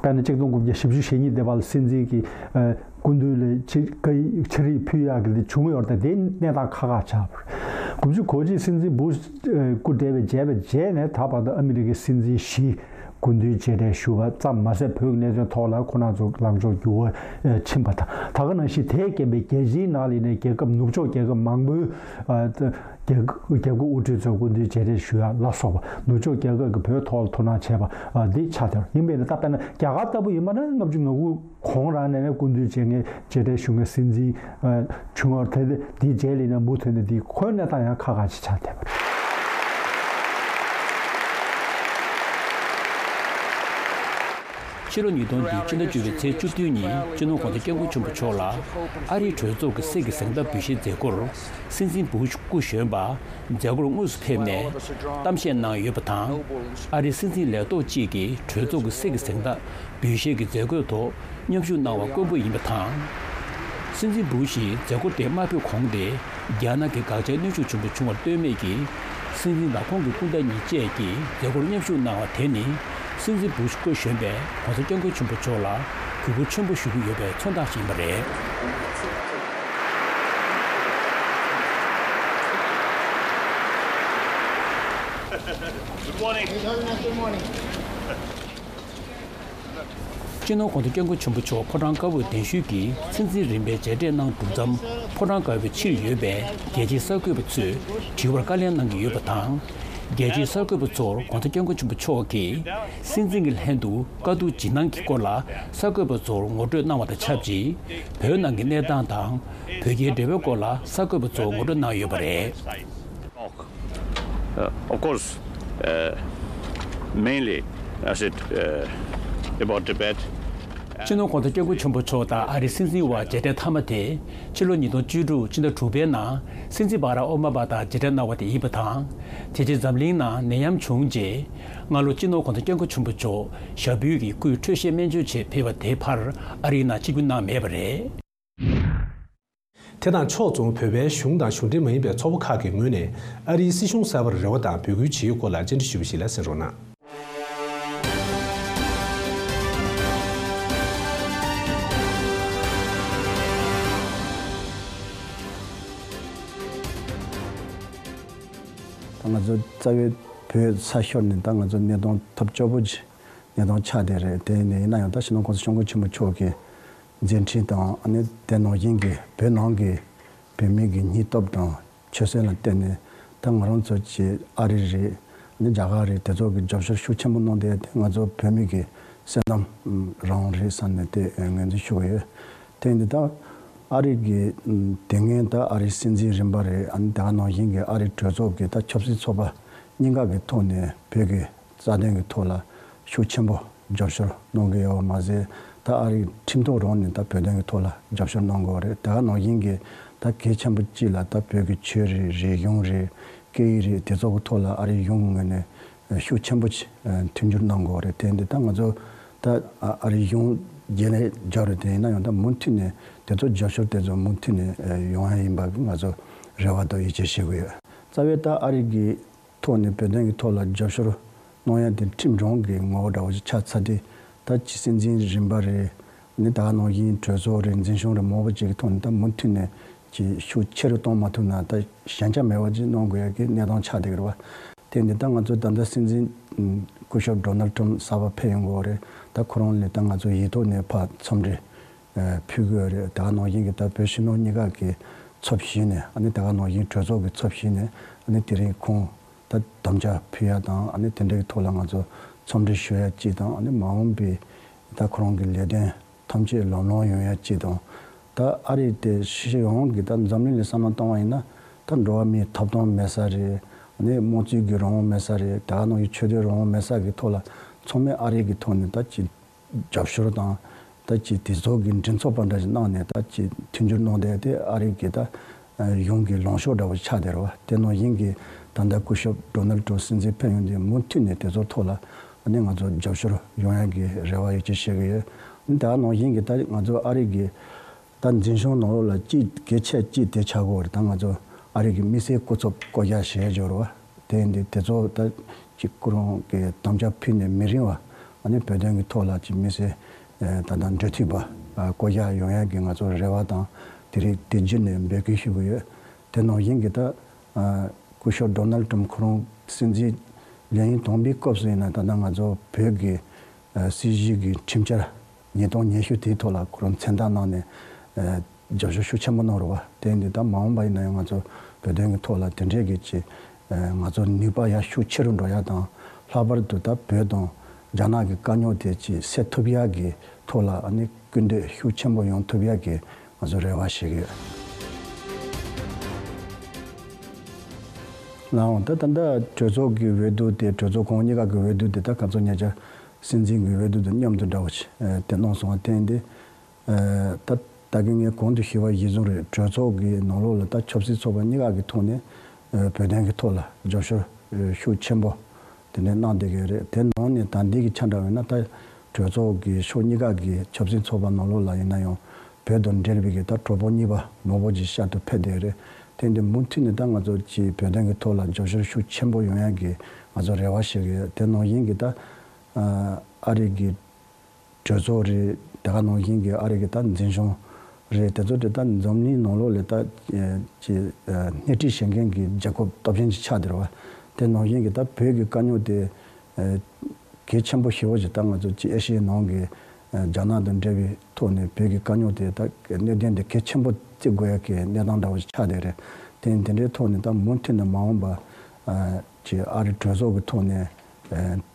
དཔེར་ན་ཆིག་སྟོང་དགུ་བརྒྱ་བཞི་བཅུ་ཞེ་གཉིས་དེ་བར་ལ་སྲིད་འཛིན་གྱི་སྐུ་མདུན་ལ་ཕྱིར་བཀའ་ཡིག་ཕྱིར་ཡིག་ཕུལ་ཡག་གི་དེ་བྱུང་ཡོད་རེད། དེ་གནས་སྟངས་ཁག་ཁག་ཆགས་པ་རེད། དགུ་བཅུ་གོ་གཅིག་སྲིད་འཛིན་སྦུ་ཤ་སྐུ་བགྲེས་པའི་མཇལ་བའི་རྗེས་ནས་ད་བར་དུ་ཨ་མི་རི་ཀའི་སྲིད་འཛིན་བཞི་སྐུ་མདུན་མཇལ་འཕྲད་ཞུ་བ་ཙམ་མ་ཟད་བོད་ཀྱི་གནད་དོན་ཐོག་ལ་ཁོང་རྣམ་ཚོ་ལངས་ཕྱོགས་འགྱུར་བ་ཕྱིན་པ་དང་། ད་ག་ནང་བཞིན་དེའི་རྐྱེན་པས་རྒྱལ་སྤྱིའི་ནང་ལ་ནས་རྒྱལ་ཁབ་ནུབ་ཕྱོགས་རྒྱལ་ཁབ་མང་པོའི་རྒྱལ་རྒྱལ་ཁབ་དབུ་ཁྲིད་ཚོ་སྐུ་མདུན་མཇལ་འཕྲད་ཞུ་ཡ་ལ་སོགས་པ་ནུབ་ཕྱོགས་རྒྱལ་ཁབ་ཀྱིས་བོད་ཐོག་ལ་ཐུགས་སྣང་བྱས་པ་འདི་ཆགས་བསྡད་པ་ཡིན་པས་ན། ད་དཔེར་ན་རྒྱ་གར་ལྟ་བུ་ཡིན་པ་ན་ལྔ་བཅུ་ང་དགུ་གོང་རང་ནས་ནས་སྐུ་མདུན་མཇལ་མཁན་མཇལ་འཕྲད་ཞུ་མཁན་སྲིད་འཛིན་བྱུང་བ་དེ་འདིའི་རྗེས་ལ་ནས་མུ་མཐུད་ནས་འདི་ཁོའི་གནས་སྟངས་ཡང་ཁག་ཁག་ཅིག་ཆགས་བསྡད་པ་རེད། ཕྱི་ལོ་ཉིས་སྟོང་བདུན་ཕྱི་ཟླ་བཅུ་པའི་ཚེས་བཅུ་བདུན་ཉིན་སྤྱི་ནོར་༸གོང་ས་༸སྐྱབས་མགོན་ཆེན་པོ་མཆོག་ལ་ཨ་རིའི་གྲོས་ཚོགས་ཀྱི་གསེར་གྱི་གཟེངས་རྟགས་འབུལ་བཞེས་མཛད་སྒོར་སྲིད་འཛིན་སྦུ་ཤ་སྐུ་གཞོན་པ་མཛད་སྒོར་དངོས་སུ་ཕེབས་ནས་གཏམ་བཤད་གནང་ཡོད་པ་དང་། ཨ་རིའི་སྲིད་འཛིན་ལས་ཐོག་ཅིག་གིས་གྲོས་ཚོགས་ཀྱི་གསེར་གྱི་གཟེངས་རྟགས་འབུལ་བཞེས་ཀྱི་མཛད་སྒོའི་ཐོག་མཉམ་ཞུགས་གནང་བ་དཀོན་པོ་ཡིན་པ་དང་། སྲིད་འཛིན་སྦུ་ཤ་ཡིས་མཛད་སྒོ་དེ་མ་ཕེབས་གོང་དེ་རྒྱ་ནག་གི་དགག་བྱའི་གནོན་ཤུགས་ཆེན་པོ་བྱུང་བར་ལྟོས་མེད་ཀྱིས་སྲིད་འཛིན་དང་ཁོང་གི་སྐུ་ཟླ་གཉིས་བཅས་ཀྱིས་མཛད་སྒོར་མཉམ་ཞུགས་གནང་བ་དེ་ནི་སྲིད་འཛིན་སྦུ་ཤ་སྐུ་གཞོན་པས་༸གོང་ས་༸སྐྱབས་མགོན་ཆེན་པོ་མཆོག་ལ་གུས་བཀུར་ཆེན་པོ་ཞུ་གི་ཡོད་པའི་མཚོན་རྟགས་ཤིག་ཡིན་པ་རེད། Good morning. Good morning. སྤྱི་ནོར་༸གོང་ས་༸སྐྱབས་མགོན་ཆེན་པོ་མཆོག་ཕོ་བྲང་དཀར་པོར་གདན་ཞུས་ཀྱིས་ཚེ་འཛིན་རིམ་པའི་མཇལ་འཕྲད་གནང་གྲུབ་མཚམས། ཕོ་བྲང་དཀར་པོའི་ཕྱིར་ཡོད་པའི་རྒྱལ་སྤྱིའི་གསར་འགོད་པ་ཚོས་དྲི་བར་བཀའ་ལན་གནང་གི་ཡོད་པ་དང་། རྒྱལ་སྤྱིའི་གསར་འགོད་པ་ཚོར་༸གོང་ས་༸སྐྱབས་མགོན་ཆེན་པོ་མཆོག་གིས་སྲིད་འཛིན་གྱི་ལྷན་དུ་བཀའ་བསྡུར་ཇི་གནང་གི་སྐོར་ལ་གསར་འགོད་པ་ཚོར་ངོ་སྤྲོད་གནང་བ་དང་ཆབས་ཅིག་བོད་ནང་གི་གནས་སྟངས་དང་། བོད་རྒྱའི་འབྲེལ་བའི་སྐོར་ལ་གསར་འགོད་པ་ཚོར་ངོ་སྤྲོད་གནང་ཡོད་པ་རེད། Uh, of course, uh, mainly, I said, uh, about Tibet. སྤྱི་ནོར་༸གོང་ས་༸སྐྱབས་མགོན་ཆེན་པོ་མཆོག་དང་ཨ་རིའི་སྲིད་འཛིན་དབར་མཇལ་འཕྲད་མཐའ་མ་དེ་ཕྱི་ལོ་ཉིས་སྟོང་བཅུ་དྲུག་ཕྱི་ཟླ་དྲུག་པའི་ནང་སྲིད་འཛིན་བྷ་རག་ཨོ་མ་མ་དང་མཇལ་འཕྲད་གནང་བ་དེ་ཡིན་པ་དང་། དེ་རྗེས་འཛམ་གླིང་ནང་ནད་ཡམས་བྱུང་རྗེས། སྔ་ལོ་སྤྱི་ནོར་༸གོང་ས་༸སྐྱབས་མགོན་ཆེན་པོ་མཆོག་ཞབས་བུད་ཀྱི་སྐུའི་འཕྲོད་བཞེས་སྨན་བཅོས་ཆེད་ཕེབས་པ་དེའི་བར་ཨ་རིའི་ནང་ཆིབས་བསྒྱུར་གནང་མེད་པ་རེད། དེ་དང་ཕྱོགས་མཚུངས། བོད་པའི་གཞུང་དང་གཞུང་འབྲེལ་མ་ཡིན་པའི་ཚོགས་པ་ཁག་གི་ངོས་ནས་ཨ་རིའི་སྲིད་གཞུང་གསར་པར་རེ་བ་དང་འབོད་སྐུལ་བྱེད་ཡུལ་སྐོར་ལ་བཅར་འདྲི་ཞུས་པ་ཞིག་ལ་གསན་རོགས་གནང་། ད་ང་ཚོ་རྩ་བའི་བོད་ས་ཤོར་ནས་ད་ང་ཚོ་གནས་སྟངས་ཐབས་སྐྱོ་པོ་ཅིག་གནས་སྟངས་ཆགས་བསྡད་རེད། དེ་ཡིན་ན་ཡང་ད་སྤྱི་ནོར་༸གོང་ས་༸སྐྱབས་མགོན་ཆེན་པོ་མཆོག་གི་མཛད་འཕྲིན་དང་། ཨ་ནི་དེ་ནང་བཞིན་གྱི་བོད་ནང་གི་བོད་མི་གི་སྙིང་སྟོབས་དང་ཆོད་སེམས་ལ་བརྟེན་ནས་ད་ང་རང་ཚོ་གི་ཨ་རི་རེད། ཨ་ནི་རྒྱ་གར་རེད། དེ་ཚོ་གི་རྒྱབ་སྐྱོར་ཤུགས་ཆེན་པོ་གནང་བསྡད་དེ་ང་ཚོ་བོད་མི་གི་སེམས་ནང་རང་རེད་བསམ་ནས་དེ་ངོས་འཛིན་ཞུ་གི་ཡོད། དེ་ཡིན་དུས་ད་ཨ་རི་གི་དེ་སྔོན་ད་ཨ་རིའི་སྲིད་འཛིན་རིམ་པ་རེད། ཨ་ནི་དེ་ག་ནང་བཞིན་གྱི་ཨ་རིའི་གྲོས་ཚོགས་ཀྱི་ད་ཆབ་སྲིད་ཚོགས་པ་གཉིས་ཀ་གི་ཐོག་ནས་བོད་ཀྱི་རྩ་དོན་གྱི་ཐོག་ལ་ཤུགས་ཆེན་པོ་རྒྱབ་སྐྱོར་གནང་གི་ཡོད་པ་མ་ཟད། ད་ཨ་རིའི་ཁྲིམས་ཐོག་རང་ནས་ད་བོད་དོན་གྱི་ཐོག་ལ་རྒྱབ་སྐྱོར་གནང་དགོས་པ་རེད། དེ་ག་ནང་བཞིན་གྱི་ད་གལ་ཆེན་པོ་གཅིག་ལ་ད་བོད་ཀྱི་ཆོས་རེད། རིག་གཞུང་རེད། སྐད་ཡིག་རེད། དེ་ཚོ་གི་ཐོག་ལ་ཨ་རིའི་གཞུང་གི་ངོས་ནས་ཤུགས་ཆེན་པོ་ཅིག་མཐུན་འགྱུར་གནང་དགོས་པ་རེད། དེ་འདི་ད་ང་ཚོ་ད་ཨ་རིའི་གཞུང་རྗེས་ལ་རྒྱབ་རེད། དེ་ཡིན་ན་ཡང་ད་མུ་མཐུད་ནས་དེ་ཚོ་རྒྱབ་སྐྱོར་དེ་ཚོ་མུ་མཐུད་ནས་ཡོང་ཡ་ཡིན་པ་ང་ཚོ་རེ་བ་དང་ཡིད་ཆེས་བྱེད་དགོས་ཡོད། རྩ་བའི་ད་ཨ་རི་གི་ཐོག་ནས་བོད་དོན་གྱི་ཐོག་ལ་རྒྱབ་སྐྱོར་གནང་ཡ་དེ་ཁྲིམས་རང་གི་ངོ་བོ་འདྲ་བོ་ཞིག་ཆགས་ཚར་དུས། ད་ཅི་སྲིད་འཛིན་རིམ་པ་རེད། ནི་ད་ག་ནང་བཞིན་གྲོས་ཚོགས་རེད། འཛིན་སྐྱོང་རེད། མང་པོ་ཅིག་གི་ཐོག་ནས་ད་མུ་མཐུད་ནས་ཅི་ཤུགས་ཆེ་རུ་གཏོང་མ་ཐུབ་ན་ད་ཞན་ཆ་མེད་པ་ཅིག་གནང་དགོས་ཡ་གི་གནས་སྟངས་ཆགས་བསྡད་ཀྱི་རེད་བ། དེ་ནི་ད་ང་ཚོ་ད་ལྟ་སྲིད་འཛིན་སྐུ་ཞབས་ཌོ་ནལ་ཊམ་གསར་པ་ཕེབས་ཡོང་གི་ཡོད་རེད། ད་ཁོ་རང་ལ་ད་ང་ཚོ་ཡིག་ཐོག་ནས་ཕར་འཚམས་འདྲི་ཕུལ་གྱི་ཡོད་རེད། ད་ག་ནང་བཞིན་གྱི་ད་བོད་ཕྱི་ནང་གཉིས་ཀ་གི་ཚབ་ཞུས་ནས། ཨ་ནི་ད་ག་ནང་བཞིན་གྲོས་ཚོགས་ཀྱི་ཚབ་ཞུས་ནས། ཨ་ནི་དེ་རིང་ཁོང་ད་དམ་བཅའ་ཕུལ་ཡ་དང་། ཨ་ནི་དེ་འདྲའི་ཐོག་ལ་ང་ཚོ་འཚམས་འདྲི་ཞུ་ཡ་གཅིག་དང་། ཨ་ནི་མ་འོངས་པའི་ད་ཁོ་རང་གི་ལས་དོན་ཐམས་ཅད་ལམ་ལྷོང་ཡོང་ཡ་གཅིག་དང་། ད་ཨ་རི་དེ་ཕྱི་ཕྱོགས་ཡོངས་ཀྱི་ད་འཛམ་གླིང་ལ་བསམ་བློ་བཏང་བ་ཡིན་ན། ད་འགྲོ་བ་མིའི་ཐོབ་ཐང་མེད་ས་རེད། ཨ་ནི་དམངས་གཙོའི་གི་རང་དབང་མེད་ས་རེད། ད་ག་ནང་བཞིན་ཆོས་དད་རང་དབང་མེད་ས་གི་ཐོག་ལ་ཚང་མས་ཨ་རི་གི་ཐོག་ནས་ད་ཅི་རྒྱབ་སྐྱོར་དང་། ད་ཅི་དེ་ཚོ་གི་མགྲིན་ཚབ་པ་འདྲ་ཞིག་གནང་ནས་ད་ཅི་མཐུན་འགྱུར་གནང་བསྡད་དེ་ཨ་རི་གི་ད་གཞུང་གི་ལངས་ཕྱོགས་འདྲ་བོ་ཆགས་བསྡད་རེད་བ། དེ་ནང་བཞིན་གྱི་ད་ལྟ་སྐུ་ཞབས་ཌོ་ནལ་ཊམ་སྲིད་འཛིན་ཕེབས་ཡོང་དུས་མུ་མཐུད་ནས་དེ་ཚོ་ཐོག་ལ་ཨ་ནི་ང་ཚོ་རྒྱབ་སྐྱོར་ཡོང་ཡ་གི་རེ་བ་ཡོད་ཅེས་བཤད་གི་ཡོད། ད་ནང་བཞིན་གྱི་ད་ང་ཚོ་ཨ་རི་གི་ད་འཛིན་སྐྱོང་ནང་ལོགས་ལ་ཅི་གལ་ཆེ་ཅི་དེ་ཆགས་གོ་རེད། ད་ང་ཚོ་ཨ་རི་གི་དམིགས་བསལ་སྐུ་ཚབ་བསྐོ་གཞག་བྱས་ཡོད་རེད་བ། དེ་འདི་དེ་ཚོ་ད་ཅིག་ཁོ་རང་གི་དམ་བཅའ་ཕུལ་ནས་མི་རིང་བ། ཨ་ནི་བོད་དོན་གྱི་ཐོག་ལ་ཅིག་དམིགས་བསལ་ད་ལྟ་འབྲེལ་མཐུད་པ་བསྐོ་གཞག་ཡོང་ཡ་གི་ང་ཚོ་རེ་བ་དང་། དེ་རིང་དེ་བརྒྱུད་ནས་འབོད་སྐུལ་ཞུ་གི་ཡོད། དེ་ནང་བཞིན་གྱི་ད་སྐུ་ཞབས་ཌོ་ནལ་ཊམ་ཁོ་རང་སྲིད་འཛིན་ལས་ཡུན་དང་པོའི་སྐབས་སུ་ཡིན་ན། ད་ལྟ་ང་ཚོ་བོད་ཀྱི་ཨ་སྲིད་བྱུས་ཀྱི་ཁྲིམས་འཆར་ཉིས་སྟོང་ཉི་ཤུ་དེའི་ཐོག་ལ་ཁོ་རང་མཚན་རྟགས་གནང་ནས་ཨ་རྒྱབ་སྐྱོར་ཤུགས་ཆེན་པོ་གནང་རེད་བ། དེ་འདི་ད་མ་འོངས་པ་ཡིན་ན་ཡང་ང་ཚོ་བོད་དོན་གྱི་ཐོག་ལ་དེ་འདྲའི་གི་ཅིག་ཨ་ང་ཚོ་ནུས་པ་ཡང་ཤུགས་ཆེ་རུ་འགྲོ་ཡ་དང་། ལྷག་པར་དུ་ད་བོད་དང་རྒྱ་ནག་གི་དཀའ་རྙོག་དེ་ཅིག་སེལ་ཐུབ་ཡ་གི་ཐོག་ལ་ཨ་ནི་སྐུལ་འདེད་ཤུགས་ཆེན་པོ་ཡོང་ཐུབ་ཡ་གི་ང་ཚོ་རེ་བ་བྱེད་ཀྱི་ཡོད། ལགས་འོང་། ད་ད་ལྟ་གྲོས་ཚོགས་ཀྱི་འོས་བསྡུ་དེ། གྲོས་ཚོགས་ཁོངས་གཉིས་ཀ་གི་འོས་བསྡུ་དེ་ད་ཁ་ཚོ་ཉེ་ཆར་སྲིད་འཛིན་གྱི་འོས་བསྡུ་དང་མཉམ་དུ་འདྲ་བོ་ཞིག་ཨ་དེ་གནང་སོང་བ། དེ་ཡིན་དུས་ཨ་ད་ད་གིན་ངས་གོང་དུ་ཞུས་པ་གཞིར་བཟུང་རེད། གྲོས་ཚོགས་ཀྱི་ནང་ལོགས་ལ་ད་ཆབ་སྲིད་ཚོགས་པ་གཉིས་ཀ་གི་ཐོག་ནས་ཨ་བོད་དོན་གྱི་ཐོག་ལ་རྒྱབ་སྐྱོར་ཨ་ཤུགས་ཆེན་པོ་དེ་འདྲ་གནང་བསྡད་ཀྱི་རེད། དེ་ནང་ནས་ད་ལྟའི་གི་ཆ་འདྲ་བས་ན། ད་གྲོས་ཚོགས་ཀྱི་ཕྱོགས་གཉིས་ཀ་གི་ཆབ་སྲིད་ཚོགས་པ་ནང་ལོགས་ལ་ཡིན་ན་ཡང་བོད་དང་འབྲེལ་བའི་གི་ད་གྲོགས་པོ་གཉིས་པ་མང་པོ་ཅིག་ཤར་དུ་ཕེབས་བསྡད་རེད། དེ་འདི་མུ་མཐུད་ནས་ད་ང་ཚོ་ཀྱི་བོད་དོན་གྱི་ཐོག་ལ་རྒྱབ་སྐྱོར་ཤུགས་ཆེན་པོ་ཡོང་ཡ་གི་ང་ཚོ་རེ་བ་བྱེད་ཀྱི་ཡོད། དེ་ནང་བཞིན་གྱི་ད་ཨ་རི་གི་གྲོས་ཚོགས་རེད། དེ་ག་ནང་བཞིན་གྱི་ཨ་རི་གི་ད་འཛིན་སྐྱོང་རེད། དེ་ཚོ་དེ་ད་འཛམ་གླིང་ནང་ལོགས་ལ་ད་ཀྱི་སྣེ་ཁྲིད་བྱེད་མཁན་གྱི་རྒྱལ་ཁབ་སྟོབས་ཆེན་ཅིག་ཆགས་བསྡད་རེད་བ། དེ་ནང་བཞིན་གྱི་ད་བོད་ཀྱི་དཀའ་རྙོག་དེ་གལ་ཆེན་པོ་ཞེ་པོ་ཅིག་ད་ང་ཚོ་ཀྱི་ཨེ་ཤི་ཡའི་ནང་གི་རྒྱ་ནག་དང་འབྲེལ་བའི་ཐོག་ནས་བོད་ཀྱི་དཀའ་རྙོག་དེ་ད་གནད་དོན་དེ་གལ་ཆེན་པོ་བརྩི་དགོས་ཡ་གི་གནས་སྟངས་འདྲ་བོ་ཞིག་ཆགས་བསྡད་རེད། དེ་དེ་འདྲའི་ཐོག་ནས་ད་མུ་མཐུད་ནས་མ་འོངས་པ་ཀྱི་ཨ་རི་གྲོས་ཚོགས་ཀྱི་ཐོག་ནས་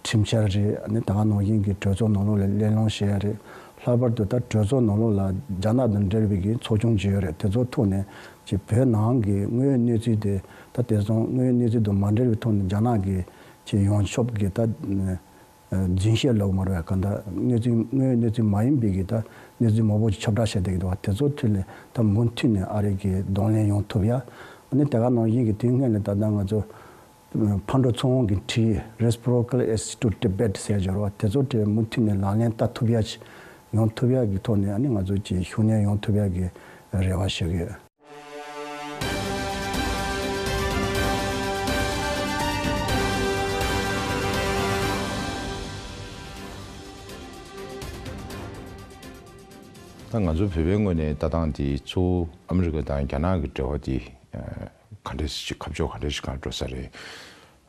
ཁྲིམས་འཆར་རེད། ཨ་ནི་ད་ག་ནང་བཞིན་གྱི་གྲོས་ཚོགས་ནང་ལོགས་ལ་གླེང་སློང་བྱེད་ཡ་རེད། ལྷག་པར་དུ་ད་གྲོས་ཚོགས་ནང་ལོགས་ལ་རྒྱ་ནག་དང་འབྲེལ་བའི་གི་ཚོགས་ཆུང་ཅིག་ཡོད་རེད། དེ་ཚོ་ཐོག་ནས་ཀྱི་བོད་ནང་གི་དངོས་ཡོད་གནས་ཚུལ་དེ། ད་དེང་སང་དངོས་ཡོད་གནས་ཚུལ་དང་མ་འབྲེལ་བའི་ཐོག་ནས་རྒྱ་ནག་གི་ཀྱི་ཡོངས་ཁྱབ་ཀྱི་ད་ རྫུན་བཤད་ལབ་མ་རེད་བ། གང་ལྟར་གནས་ཚུལ་དངོས་ཡོད་གནས་ཚུལ་མ་ཡིན་པའི་གི་ད་གནས་ཚུལ་མང་པོ་ཞིག་ཁྱབ་བསྒྲགས་བྱས་བསྡད་ཀྱི་འདུག་བ། དེ་ཚོ་ཐོག་ལ་ད་མུ་མཐུད་ནས་ཨ་རི་གི་གདོང་ལེན་ཡོང་ཐུབ་ཡ། ཨ་ནི་དེ་ག་ནང་བཞིན་གྱི་དེ་སྔོན་ལ་ད་ལྟ་ང་ཚོ་ཕར་འགྲོ་ཚུར་འོང་གི་ཁྲིད། Reciprocal Assistance to Tibet ཟེར་ཡ་ཅིག་ཡོད་རེད་བ། དེ་ཚོ་དེ་མུ་མཐུད་ནས་ལག་ལེན་བསྟར་ཐུབ་ཡ་ཅིག་ཡོང་ཐུབ་ཡ་གི་ཐོག་ནས་ཨ་ནི་ང་ཚོ་ཅིག་ཤུགས་སྣོན་ཡོང་ཐུབ་ཡ་གི་རེ་བ་ཞུ་གི་ཡོད། ད་ང་ཚོ་བོད་པའི་ངོས་ནས་ལྟ་སྟངས་དེ་གཙོ་བོ་ཨ་མི་རི་ཀ་དང་རྒྱ་ནག་གི་འབྲེལ་བ་དེ་ག་འདྲས་ཤིག་ཁ་ཕྱོགས་ག་འདྲས་ཤིག་གང་འགྲོ་ས་རེད།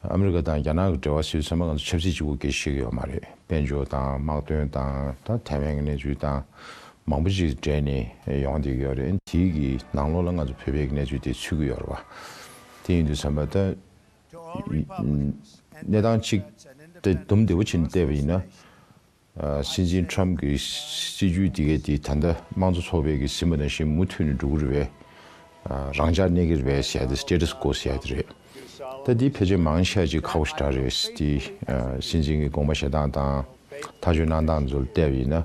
ཨ་མི་རི་ཀ་དང་རྒྱ་ནག་གི་འབྲེལ་བ་ཟེར་དུས་ཙམ་པ་ང་ཚོ་ཆབ་སྲིད་གཅིག་པུ་སྐད་ཆ་བཤད་ཀྱི་ཡོད་མ་རེད། དཔལ་འབྱོར་དང་དམག་དོན་དང་ད་ཐའེ་ཝན་གྱི་གནས་ཚུལ་དང་མང་པོ་ཅིག་འབྲེལ་ནས་ཡོང་བསྡད་ཀྱི་ཡོད་རེད། དེའི་གི་ནང་ལོགས་ལ་ང་ཚོ་བོད་པའི་གནས་ཚུལ་དེ་ཚུད་ཀྱི་ཡོད་རེད་བ། དེ་ཡིན་དུས་ཙམ་པ་ད་གནས་སྟངས་གཅིག་དེ་དུམ་བདེ་བོ་བྱས་ནས་བལྟས་པ་ཡིན་ན། ཨ། སྲིད་འཛིན་ཊམ་གྱི་སྲིད་ཇུས་དེ་གས་དེ་ད་ལྟ་དམངས་གཙོ་ཚོགས་པའི་གི་ཟིན་པ་ནང་བཞིན་མུ་མཐུད་ནས་འགྲོ་གི་རེད་པས། ཨ། རང་འཇགས་གནས་ཀྱི་རེད་པས་ཟེར་ཡ་དེ་སི་ཊེ་ཊས་ཀོ་ཟེར་ཡ་དེ་རེད། ད་འདི་ཕལ་ཆེར་མང་ཆེ་བ་ཅིག་ཁག་པོ་ཞེ་དྲག་རེད། དེ་ཨ། སྲིད་འཛིན་གྱི་དགོངས་པ་བཞེས་སྟངས་དང་ཐག་གཅོད་གནང་སྟངས་ཚོ་ལ་བལྟས་པ་ཡིན་ན།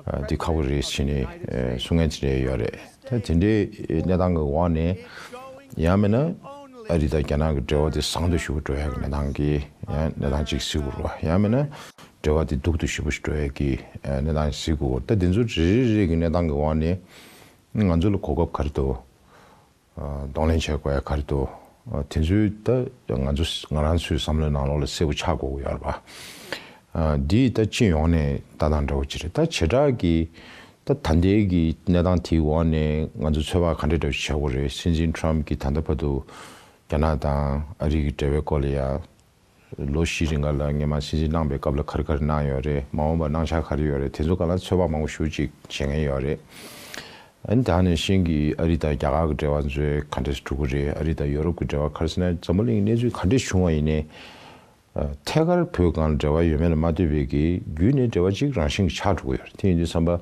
ཨ། འདི་ཁག་པོ་རེད་ཟེར་ནས་ཨ། གསུང་མཁན་དེ་འདྲ་ཡོད་རེད། ད་དེ་འདྲའི་གནས་སྟངས་ཀྱི་འོག་ནས་ཡང་མིན་ན་ཨ་རི་དང་རྒྱ་ནག་གི་འབྲེལ་བ་དེ་བཟང་དུ་ཞུ་འགྲོ་ཡག་གི་གནས་སྟངས་ཀྱི་ཡང་གནས་སྟངས་ཅིག་གཟིགས་དགོས་རེད་བ། ཡང་མིན་ན་འབྲེལ་བ་དེ་སྡུག་ཏུ་ཞེ་པོ་ཞིག་འགྲོ་ཡག་གི་གནས་སྟངས་གཟིགས་དགོས། ད་དེ་ཚོ་རེ་རེ་རེ་གི་གནས་སྟངས་ཀྱི་འོག་ནས་ང་ཚོ་ལ་གོ་སྐབས་ག་རེ་འདུག་གདོང་ལེན་བྱེད་དགོས་ཡ་ག་རེ་འདུག་དེ་ཚོའི་ད་ང་ཚོ་ང་རང་ཚོའི་བསམ་བློའི་ནང་ལོགས་ལ་གསལ་པོ་ཆགས་དགོས་ཀྱི་ཡོད་རེད་པ། འདིས་ད་སྤྱི་ཡོངས་ནས་ལྟ་སྟངས་འདྲ་བོ་ཅིག་རེད། ད་བྱེ་བྲག་གི་ད་ད་ལྟའི་གི་གནས་སྟངས་དེའི་འོག་ནས་ང་ཚོ་ཚོད་དཔག་ག་འདྲ་འདྲ་བོ་ཅིག་བྱེད་དགོས་རེད། སྲིད་འཛིན་ཊམ་གྱིས་ད་ལྟ་བར་དུ་རྒྱ་ནག་དང་ཨ་རི་གི་འབྲེལ་བའི་སྐོར་ལ་ཡ། ལོ་བཞི་རིང་ག་ལ་སྔོན་མ་སྲིད་འཛིན་གནང་པའི་སྐབས་ལ་ག་རེ་ག་རེ་གནང་ཡོད་རེད། མ་འོངས་པར་གནང་འཆར་ག་རེ་ཡོད་རེད། དེ་ཚོ་སྒང་ལ་ཚོད་དཔག་མང་པོ་ཞེ་པོ་ཅིག་བྱེད་མཁན་ཡོད་རེད། ཨ་ནི་ད་ནང་བཞིན་གྱི་ཨ་རི་དང་རྒྱ་གར་གྱི་འབྲེལ་བ་ཚོ་ག་འདྲས་འགྲོ་གི་རེད། ཨ་རི་དང་ཡོ་རོབ་ཀྱི་འབྲེལ་བ། ག་རེ་ཟེར་ན་འཛམ་བུ་གླིང་གི་གནས་ཚུལ་ག་འདྲས་བྱུང་བ་ཡིན་ནའི། ཨ། ཐད་ཀར་བོད་སྒང་ལ་འབྲེལ་བ་ཡོད་མེད་ལ་མ་ལྟོས་པའི་གི་བརྒྱུད་ནས་འབྲེལ་བ་གཅིག་རང་བཞིན་གྱི་ཆགས་འགྲོ་གི་ཡོད་རེད། དེ་ཡིན་དུས་ཙམ་པ།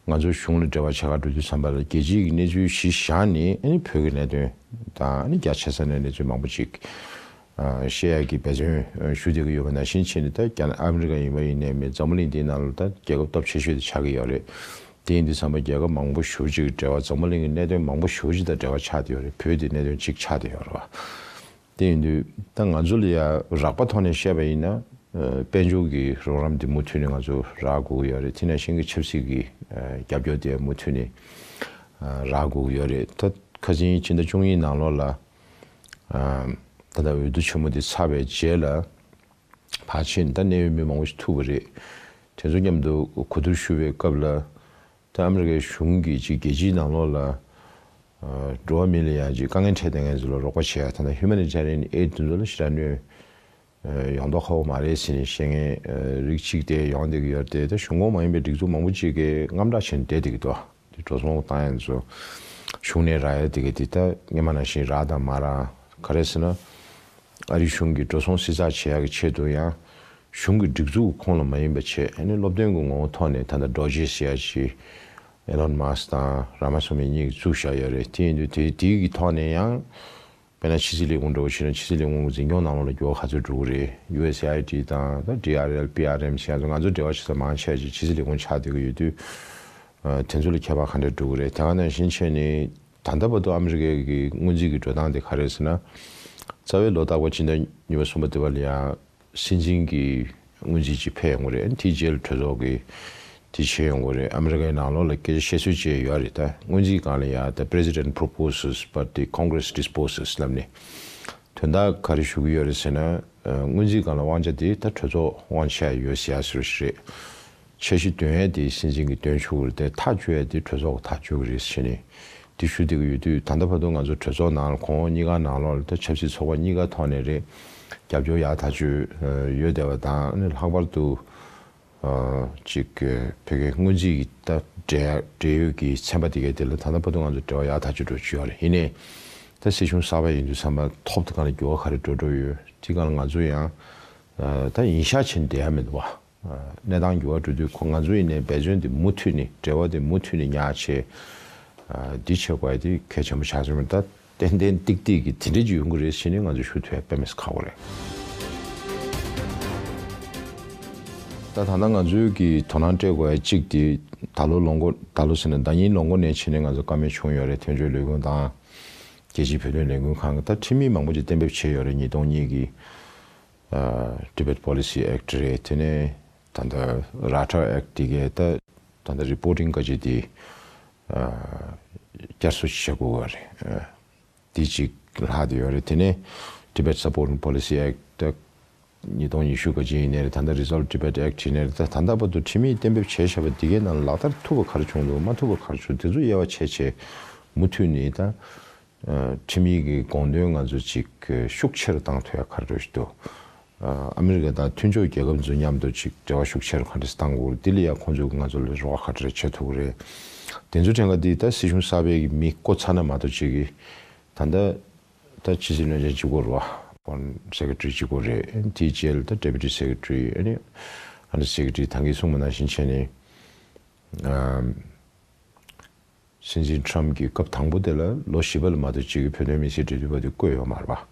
ང་ཚོ་གཞུང་ལ་འབྲེལ་བ་བྱེད་ག་འགྲོ་དུས་ཙམ་པ་ལ་རྒྱལ་སྤྱིའི་གི་གནས་ཚུལ་གཞི་བཞག་ནས་ཨ་ནི་བོད་ཀྱི་གནད་དོན་དང་ཨ་ནི་རྒྱ་ཆེ་ས་ནས་གནས་ཚུལ་མང་པོ་ཅིག་ཨ། བཤད་ཡག་གི་འབད་བརྩོན་ཞུ་བསྡད་ཀྱི་ཡོད་པ་ནང་བཞིན་བྱས་ནས། ད་རྒྱ་ནག་ཨ་མི་རི་ཀ་ཡིན་པ་ཡིན་ནའི་མིན། འཛམ་བུ་གླིང་འདིའི་ནང་ལ་ད་རྒྱལ་ཁབ་སྟོབས་ཆེ་ཤོས་དེ་ཆགས་ཀྱི་ཡོད་རེད། དེ་ཡིན་དུས་ཙམ་པ་རྒྱལ་ཁབ་མང་པོ་ཞེ་པོ་ཅིག་གི་འབྲེལ་བ། འཛམ་བུ་གླིང་གི་གནད་དོན་མང་པོ་ཞེ་པོ་ཅིག་དང་འབྲེལ་བ་ཆགས་བསྡད་ཡོད་རེད། བོད་དེ་གནད་དོན་གཅིག་ཆགས་བསྡད་ཡོད་རེད་བ། དེ་ཡིན་དུས་ད་ང་ཚོ་ལ་ཡ་རགས་པ་ཐོག་ནས་བཤད་པ་ཡིན་ན། ཨ། དཔལ་འབྱོར་གྱི་རོགས་རམ་དེ་མུ་མཐུད་ནས་ང་ཚོ་རག་དགོས་ཀྱི་ཡོད་རེད། དེ་ནང་བཞིན་གྱི་ཆབ་སྲིད་ཀྱི་ཨ། རྒྱབ་སྐྱོར་དེ་མུ་མཐུད་ནས་ཨ། རག་དགོས་ཀྱི་ཡོད་རེད། ད་ཁ་སང་ཕྱི་ཟླ་བཅུ་གཉིས་ནང་ལོགས་ལ། ཨ། ད་ལྟ་འོས་བསྡུ་ཆེན་མོ་དེ་ཚར་བའི་རྗེས་ལ་ཕར་ཕྱིན་ད་གནད་ཡོད་མི་མང་པོ་ཞིག་ཐུག་པ་རེད། དེ་ཚོ་མཉམ་དུ་གོ་བསྡུར་ཞུ་བའི་སྐབས་ལ། ད་ཨ་མི་རི་ཀའི་གཞུང་གིས་ཅིག་རྒྱལ་སྤྱིའི་ནང་ལོགས་ལ་ཨ། འགྲོ་བ་མི་ལ་ཡང་ཅིག་དཀའ་ངལ་འཕྲད་བསྡད་མཁན་ཚོ་ལ་རོགས་པ་བྱེད་ཡ། ད་ལྟ་ཧིའུ་མ་ནི་ཊེ་རི་ཡན་ཨེཌ་དེ་ཚོ་ལ་ཞེ་དྲག་གནོད་ཨ། ཡོང་མདོག་ཁ་པོ་མ་རེད་ཟེར་ནས་བཤད་མཁན་ཨ། རིགས་གཅིག་དེ་ཡོང་བསྡད་ཀྱི་ཡོད་རེད་དེ། ད་གཞུང་ཁོངས་མ་ཡིན་པའི་སྒྲིག་འཛུགས་མང་པོ་ཅིག་གིས་དངངས་སྐྲག་བྱས་ནས་བསྡད་བསྡད་ཀྱི་འདུག་དེ་འགྲོ་སོང་བཏང་ཡ་ཚོ་གཞུང་ནས་རག་ཡ་དེ་ག་དེ་ད་སྔོན་མ་ནང་བཞིན་རག་དང་མ་རག་ག་རེ་ཟེར་ན། ཨ་རིའི་གཞུང་གིས་འགྲོ་སོང་བསྲི་ཚགས་བྱེད་ཡག་གི་ཆེད་དུ་ཡང་། གཞུང་གི་སྒྲིག་འཛུགས་ཁོངས་ལ་མ་ཡིན་པ་བྱས། ཨ་ནི་སློབ་སྟོན་གྱི་ངོ་བོ་ཐོག་ནས་ད་ལྟ་ཌོ་ཇེ་ཟེར་ཡ་ཅིག་ཨེ་ལོན་མཱ་སི་ཀི་དང་རཱ་མ་སུ་མི་གཉིས་ཀྱིས་བཙུགས་བཞག་ཡོད་རེད། དེ་ཡིན་དུས་དེ་དེའི་གི་ཐོག་ནས་ཡང་། དཔེར་ན་ཕྱི་སྲིད་ལས་ཁུངས་འདྲ་བོ་བྱས་ན། ཕྱི་སྲིད་ལས་ཁུངས་ཀྱི་འཛིན་སྐྱོང་ནང་ལོགས་ལ་འགྱུར་བ་ག་ཚོད་འགྲོ་གི་རེད། ཡུ་ཨེས་ཨེ་ཨའི་ཌི་དང་ད་ཌི་ཨར་ཨེལ། པི་ཨར་ཨེམ་ཟེར་ཡ་ཚོ་ང་ཚོ་འབྲེལ་བ་བྱེད་ས་མང་ཆེ་བ་ཅིག་ཕྱི་སྲིད་ལས་ཁུངས་ཆགས་བསྡད་ཀྱི་ཡོད་དུས། ཨ། དེ་ཚོ་ལ་ཁྱད་པར་ག་འདྲ་འགྲོ་གི་རེད། དེ་ག་ནང་བཞིན་བྱས་ནས་ད་ལྟ་བར་དུ་ཨ་མི་རི་ཀའི་གི་སྔོན་རྩིས་ཀྱི་འགྲོ་སྟངས་དེ་ག་རེ་རེད་ཟེར་ན། རྩ་བའི་ལོ་རྟག་པར་སྤྱི་ཟླ་གཉིས་པ་གསུམ་པ་དེ་བ་ལ་ཡང་སྲིད་འཛིན་གྱི་སྔོན་རྩིས་ཅིག་ཕེབས་ཡོང་གི་རེད། དེའི་རྗེས་ལ་གྲོས་ཚོགས་ཀྱིས་དེ་བྱེད་ཡོང་གི་རེད། ཨ་མི་རི་ཀའི་ནང་ལོགས་ལ་སྐད་ཆ་བཤད་སྲོལ་ཅིག་ཡོད་རེད། ད་སྔོན་རྩིས་སྒང་ལ་ཡང་The president proposes but the Congress disposes ལབ་ནས། དོན་དག་ག་རེ་ཞུ་གི་ཡོད་རེད་ཟེར་ན། ཨ། སྔོན་རྩིས་སྒང་ལ་དབང་ཆ་དེ་ད་གྲོས་ཚོགས་དབང་ཆ་ཡོད་ཟེར་ཡ་ཟེར་བ་ཞིག་རེད། འཆར་གཞི་འདོན་ཡས་དེ་སྲིད་འཛིན་གྱིས་འདོན་ཆོག་གི་རེད་དེ། ཐག་གཅོད་ཡས་དེ་གྲོས་ཚོགས་ཀྱིས་ཐག་གཅོད་ཀྱི་རེད་ཟེར་ནས་དེ་ཞུ་བསྡད་ཀྱི་ཡོད་དུས། ད་ལྟ་བར་དུ་ང་ཚོ་གྲོས་ཚོགས་ནང་ལ་གོང་འོག་གཉིས་ཀ་ནང་ལོགས་ལ་ད་ཆབ་སྲིད་ཚོགས་པ་གཉིས་ཀ་ཐོག་ནས་རེད། རྒྱབ་སྐྱོར་ཡག་ཐག་ཆོད་ཡོད་བསྡད་པ་དང་། ཨ་ནི་ལྷག་པར་དུ་ཨ། ཅིག་བོད་ཀྱི་སྔོན་རྩིས་ཀྱི་ད་འབྲེལ་འབྲེལ་ཡོད་ཀྱི་ཚན་པ་དེ་གའི་དེ་ལ་ད་ལྟ་བར་དུ་ང་ཚོ་འབྲེལ་བ་ཡག་ཐག་ཆོད་འགྲོ་བཞིན་ཡོད་རེད། ཡིན་ནའི་ད་སྲིད་གཞུང་གསར་པ་ཡིན་དུས་ཙམ་པ་ཐོག་དེ་ག་ལ་འགྱུར་བ་ག་རེ་འགྲོ་འགྲོ་ཡོད། དེ་ག་ལ་ང་ཚོ་ཡང་ཨ། ད་ཡིན་ཤག་བྱས་ནས་བསྡད་ཡ་མི་འདུག་བ། གནས་སྟངས་འགྱུར་བ་འགྲོ་དུས་ཁོ་ང་ཚོ་ཡིན་ནའི་འབད་བརྩོན་དེ་མུ་མཐུད་ནས། འབྲེལ་བ་དེ་མུ་མཐུད་ནས་ཉར་བྱས། ཨ། འདི་བྱེད་དགོས་ཡ་དེ་གལ་ཆེན་པོ་ཆགས་སོང་། ད་ཏན་ཏན་ཏིག་ཏིག་གི་དེ་འདྲ་ཅིག་ཡོང་གི་རེད་ཟེར་ནས་ང་ཚོ་ཞུ་ཐུབ་ཡ་དཔེ་མི་སྲིད་ཁག་པོ་རེད། ད་ད་ལྟ་ང་ཚོའི་གི་དོ་སྣང་སྤྲད་དགོས་ཡ་གཅིག་དེ་ད་ལོ་ལོ་མགོ་ད་ལོ་ཟེར་ན་ཟླ་ཉིན་ལོ་མགོ་ནས་ཕྱིན་ནས་ང་ཚོ་བཀའ་མོལ་བྱུང་ཡོད་རེད། དོན་གཅོད་ལས་ཁུངས་དང་རྒྱལ་སྤྱིའི་བོད་དོན་ལས་འགུལ་ཁང་གི་ད་ཁྲིམས་ཡིག་མང་པོ་ཅིག་གཏན་འབེབས་བྱས་ཡོད་རེད། ཉིས་སྟོང་གཉིས་ཀྱི་ཨ་Tibet Policy Act རེད། དེ་ནས་ད་ལྟ་Rata Act དེ་གའི་ད་ད་ལྟ་reporting ག་ཅིག་དེ་ཨ་བསྐྱར་གསོ་བྱེད་དགོས་པ་རེད། ཨ་དེ་གཅིག་ལྷག་བསྡད་ཡོད་རེད། དེ་ནས་Tibet Support Policy Act ད་ཉིས་སྟོང་ཉི་ཤུ་ག་ཅིག་ཡིན་ནའི་རེད། ད་ལྟ་Resolve Tibet Act ཡིན་ནའི་རེད། ད་ད་ལྟ་བར་དུ་ཁྲིམས་ཡིག་གཏན་འབེབས་བྱས་བཞག་པ་འདི་གའི་ནང་ལག་བསྟར་ཐུབ་པ་ག་རེ་བྱུང་འདུག་མ་ཐུབ་པ་ག་རེ་བྱུང་། དེ་ཚོ་དབྱེ་བ་ཕྱེ་བྱས་མུ་མཐུད་ནས་ད་ཨ་ཁྲིམས་ཡིག་གི་དགོངས་དོན་ང་ཚོ་ཅིག་ཤུགས་ཆེ་རུ་བཏང་ཐུབ་ཡ་ག་རེ་འདུག་ཨ་ཨ་མི་རི་ཀ་དང་མཐུན་ཕྱོགས་རྒྱལ་ཁབ་ཚོ་མཉམ་དུ་ཅིག་འབྲེལ་བ་ཤུགས་ཆེ་རུ་ག་འདྲས་བཏང་དགོས་རེད། དེ་ལ་ཡ་ཁོང་ཚོས་ང་ཚོ་ལ་རོགས་པ་ག་འདྲས་བྱེད་ཐུབ་ཀྱི་རེད། དེ་ཚོ་དྲན་ག་འདི་ད་སྲིད་གཞུང་གསར་པའི་གི་མི་བསྐོ་ཚར་ན་མ་གཏོགས་ཅིག་གི་ད་ལྟ་ད་ཕྱི་སྲིད་བློན་ཆེན་གཅིག་པོ་རེད་བ། Foreign Secretary གཅིག་པོ་རེད། དེའི་རྗེས་ལ་ད་Deputy Secretary ཨ་ནི་Under Secretary ད་གིན་གསུངས་པ་ནང་བཞིན་བྱས་ནས་ཨམ་སྲིད་འཛིན་Trump གྱི་སྐབས་དང་པོ་དེ་ལ་ལོ་བཞི་པ་ལ་མ་གཏོགས་གཅིག་གི་བོད་དོན་མི་སེར་འབྲེལ་མཐུད་པ་དེ་བསྐོས་ཡོད་མ་རེད་པ།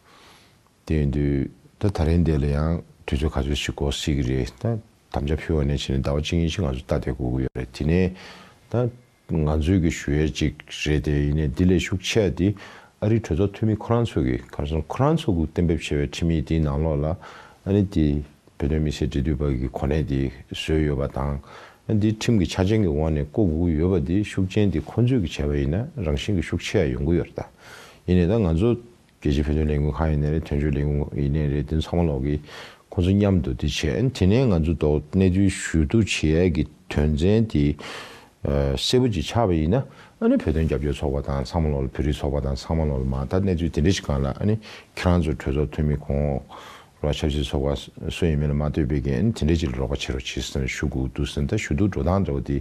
དེ་ཡིན་དུས་ད་ད་རིང་དེ་ལ་ཡང་དུས་ཚོད་ག་ཚོད་ཞིག་འགོར་སྲིད་ཀྱི་རེད། ད་དམ་བཅའ་ཕུལ་བ་ནས་བྱས་ནས་ཟླ་བ་གཅིག་གཉིས་ཤིག་ང་ཚོ་ལྟ་བསྡད་དགོས་ཀྱི་ཡོད་རེད། དེ་ནས་ད་ང་ཚོའི་གི་ཞུ་ཡས་གཅིག་རེད་དེ། ཡིན་ནའི་འདི་ལས་ཤུགས་ཆེ་བ་འདི་ཨ་རིའི་གྲོས་ཚོགས་འཐུས་མི་ཁོ་རང་ཚོ་གི་ག་རེ་ཟེར་ན་ཁོ་རང་ཚོ་གི་གཏན་འབེབས་བྱས་པའི་ཁྲིམས་ཡིག་འདིའི་ནང་ལོགས་ལ་ཨ་ནི་འདི་བོད་དོན་མི་སེར་འབྲེལ་མཐུད་པ་གི་གོ་གནས་འདི་བཟོས་ཡོད་པ་དང་། ཨ་འདི་ཁྲིམས་ཀྱི་ཆ་རྐྱེན་གྱི་འོག་ནས་བསྐོ་དགོས་ཀྱི་ཡོད་པ་འདི་ཤུགས་རྐྱེན་འདི་ཁོ་ཚོས་གི་བྱས་པ་ཡིན་ན་རང་བཞིན་གྱི་ཤུགས་ཆེ་བ་ཡོང་གི་ཡོད་རེད་ད། ཡིན་ནའི་ད་ང་ཚོ་རྒྱལ་སྤྱིའི་བོད་དོན་ལས་འགུལ་ཁང་ཡིན་ནའི་རེད། དོན་གཅོད་ལས་འགུལ་ཡིན་ནའི་རེད། དེ་ཚང་མ་ལོག་གི་ཁོང་ཚོ་མཉམ་དུ་དེ་བྱས། ཨ་ནི་དེ་ནས་ང་ཚོ་ཐོག་གནས་ཚུལ་ཞུ་གཏུག་བྱེད་ཡས་ཀྱི་དོན་ཚན་དེ་ཨ་གསལ་པོ་ཅིག་ཆགས་པ་ཡིན་ན། ཨ་ནི་བོད་དོན་རྒྱབ་སྐྱོར་ཚོགས་པ་དང་ཚང་མ་ལོག་ལ་བོད་རིགས་ཚོགས་པ་དང་ཚང་མ་ལོག་ལ་མ་ད་གནས་ཚུལ་དེ་འདྲ་ཞིག་སྒང་ལ་ཨ་ནི་ཁྱེད་རང་ཚོ་གྲོས་ཚོགས་འཐུས་མི་གོང་འོག་རོགས་ཆབ་སྲིད་ཚོགས་པ་སུ་ཡིན་མིན་ལ་མ་ལྟོས་པའི་གི་ཨ་ནི་དེ་འདྲ་ཅིག་ལ་རོགས་པ་བྱེད་རོགས་བྱེད་ཟེར་ནས་ཞུ་དགོས་འདུག་ཟེར་ནས། ད་ཞུ་གཏུག་འགྲོ་སྟངས་འདྲ་བོ་དེ་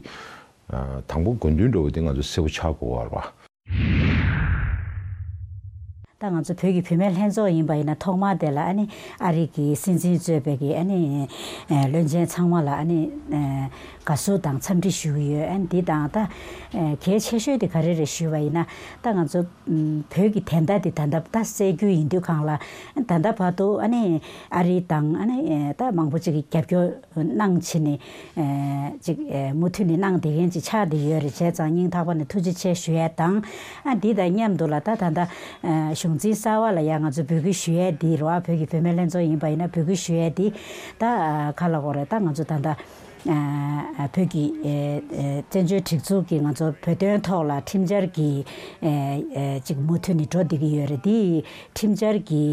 ཨ་དང་པོ་དགོས་འདུན་འདྲ་བོ་དེ་ང་ཚོ་གསལ་པོ་ཆགས་དགོས་པ་རེད་པ། ད་ང་ཚོ་བོད་ཀྱི་བུད་མེད་ལྷན་ཚོགས་ཡིན་པ་ཡིན་ན་ཐོག་མར་དེ་ལ་ཨ་ནི་ཨ་རི་གི་སྲིད་འཛིན་གཙོས་པའི་གི་ཨ་ནི་ཨ་བློན་ཆེན་ཚང་མ་ལ་ཨ་ནི་ཨ་དགའ་བསུ་དང་འཚམས་འདྲི་ཞུ་གི་ཡོད། ཨ་ནི་འདི་དང་ད་ཨ་གལ་ཆེ་ཤོས་དེ་ག་རེ་རེད་ཞུས་པ་ཡིན་ན། ད་ང་ཚོ་ཨ་བོད་ཀྱི་བདེན་མཐའ་དེ་ད་ལྟ་ད་གསལ་རྒྱུ་ཡིན་དུས་སྒང་ལ། ད་ལྟ་བར་དུ་ཨ་ནི་ཨ་རི་དང་ཨ་ནི་ཨ་ད་མང་པོ་ཅིག་གིས་རྒྱབ་སྐྱོར་གནང་བྱས་ནས་ཨ་ཅིག་ཨ་མུ་མཐུད་ནས་གནང་བསྡད་མཁན་ཅིག་ཆགས་བསྡད་ཡོད་རེད། བྱས་ཙང་སྙིང་ཐག་པ་ནས་ཐུགས་རྗེ་ཆེ་ཞུ་ཡས་དང་། ཨ་འདི་དང་མཉམ་དུ་ལ་ད་ད་ལྟ་ཨ་གཞུང་འཛིན་གསར་པ་ལ་ཡང་ང་ཚོ་འབོད་སྐུལ་ཞུ་ཡས་འདི་རེད་བ། བོད་ཀྱི་བུད་མེད་ལྷན་ཚོགས་ཡིན་པ་ཡིན་ན་འབོད་སྐུལ་ཞུ་ཡས་འདི་ད་ཨ་ག་ལབ་དགོས་རེད། ད་ང་ཚོ་ད་ལྟ་ཨ་བོད་ཀྱི་ཨ་ཨ་བཙན་བྱོལ་སྒྲིག་འཛུགས་ཀྱི་ང་ཚོ་བོད་དོན་ཐོག་ལ་ཁྲིམས་འཆར་གྱི་ཨ་ཨ་ཅིག་མུ་མཐུད་ནས་འགྲོ་བསྡད་ཀྱི་ཡོད་རེད། འདི་ཁྲིམས་འཆར་གྱི་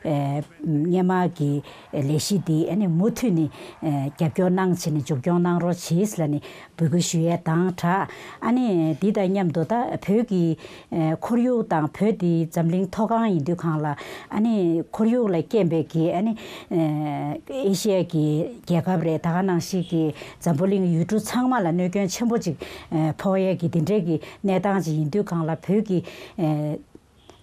ཨ་སྔོན་མ་གི་ལས་གཞི་འདི་ཨ་ནི་མུ་མཐུད་ནས་ཨ་རྒྱབ་སྐྱོར་གནང་བྱས་ནས་མཇུག་སྐྱོང་གནང་རོགས་གྱིས་ལབ་ནས་འབོད་སྐུལ་ཞུ་ཡས་དང་སྦྲགས། ཨ་ནི་འདི་དང་མཉམ་དུ་ད་བོད་ཀྱི་ཨ་ཁོར་ཡུག་དང་། བོད་འདི་འཛམ་གླིང་མཐོ་སྒང་ཡིན་དུས་སྒང་ལ་ཨ་ནི་ཁོར་ཡུག་ལ་རྐྱེན་པས་ཀྱི་ཨ་ནི་ཨ་ཨེ་ཤི་ཡ་གི་རྒྱལ་ཁབ་རེད། ད་ག་ནང་བཞིན་གྱི་འཛམ་བུ་གླིང་ཡུལ་གྲུ་ཚང་མ་ལ་གནོད་སྐྱོན་ཆེན་པོ་ཅིག་ཨ་ཕོག་ཡས་ཀྱི་འདི་འདྲའི་གི་གནས་སྟངས་ཅིག་ཡིན་དུས་སྒང་ལ་བོད་ཀྱི་ཨ་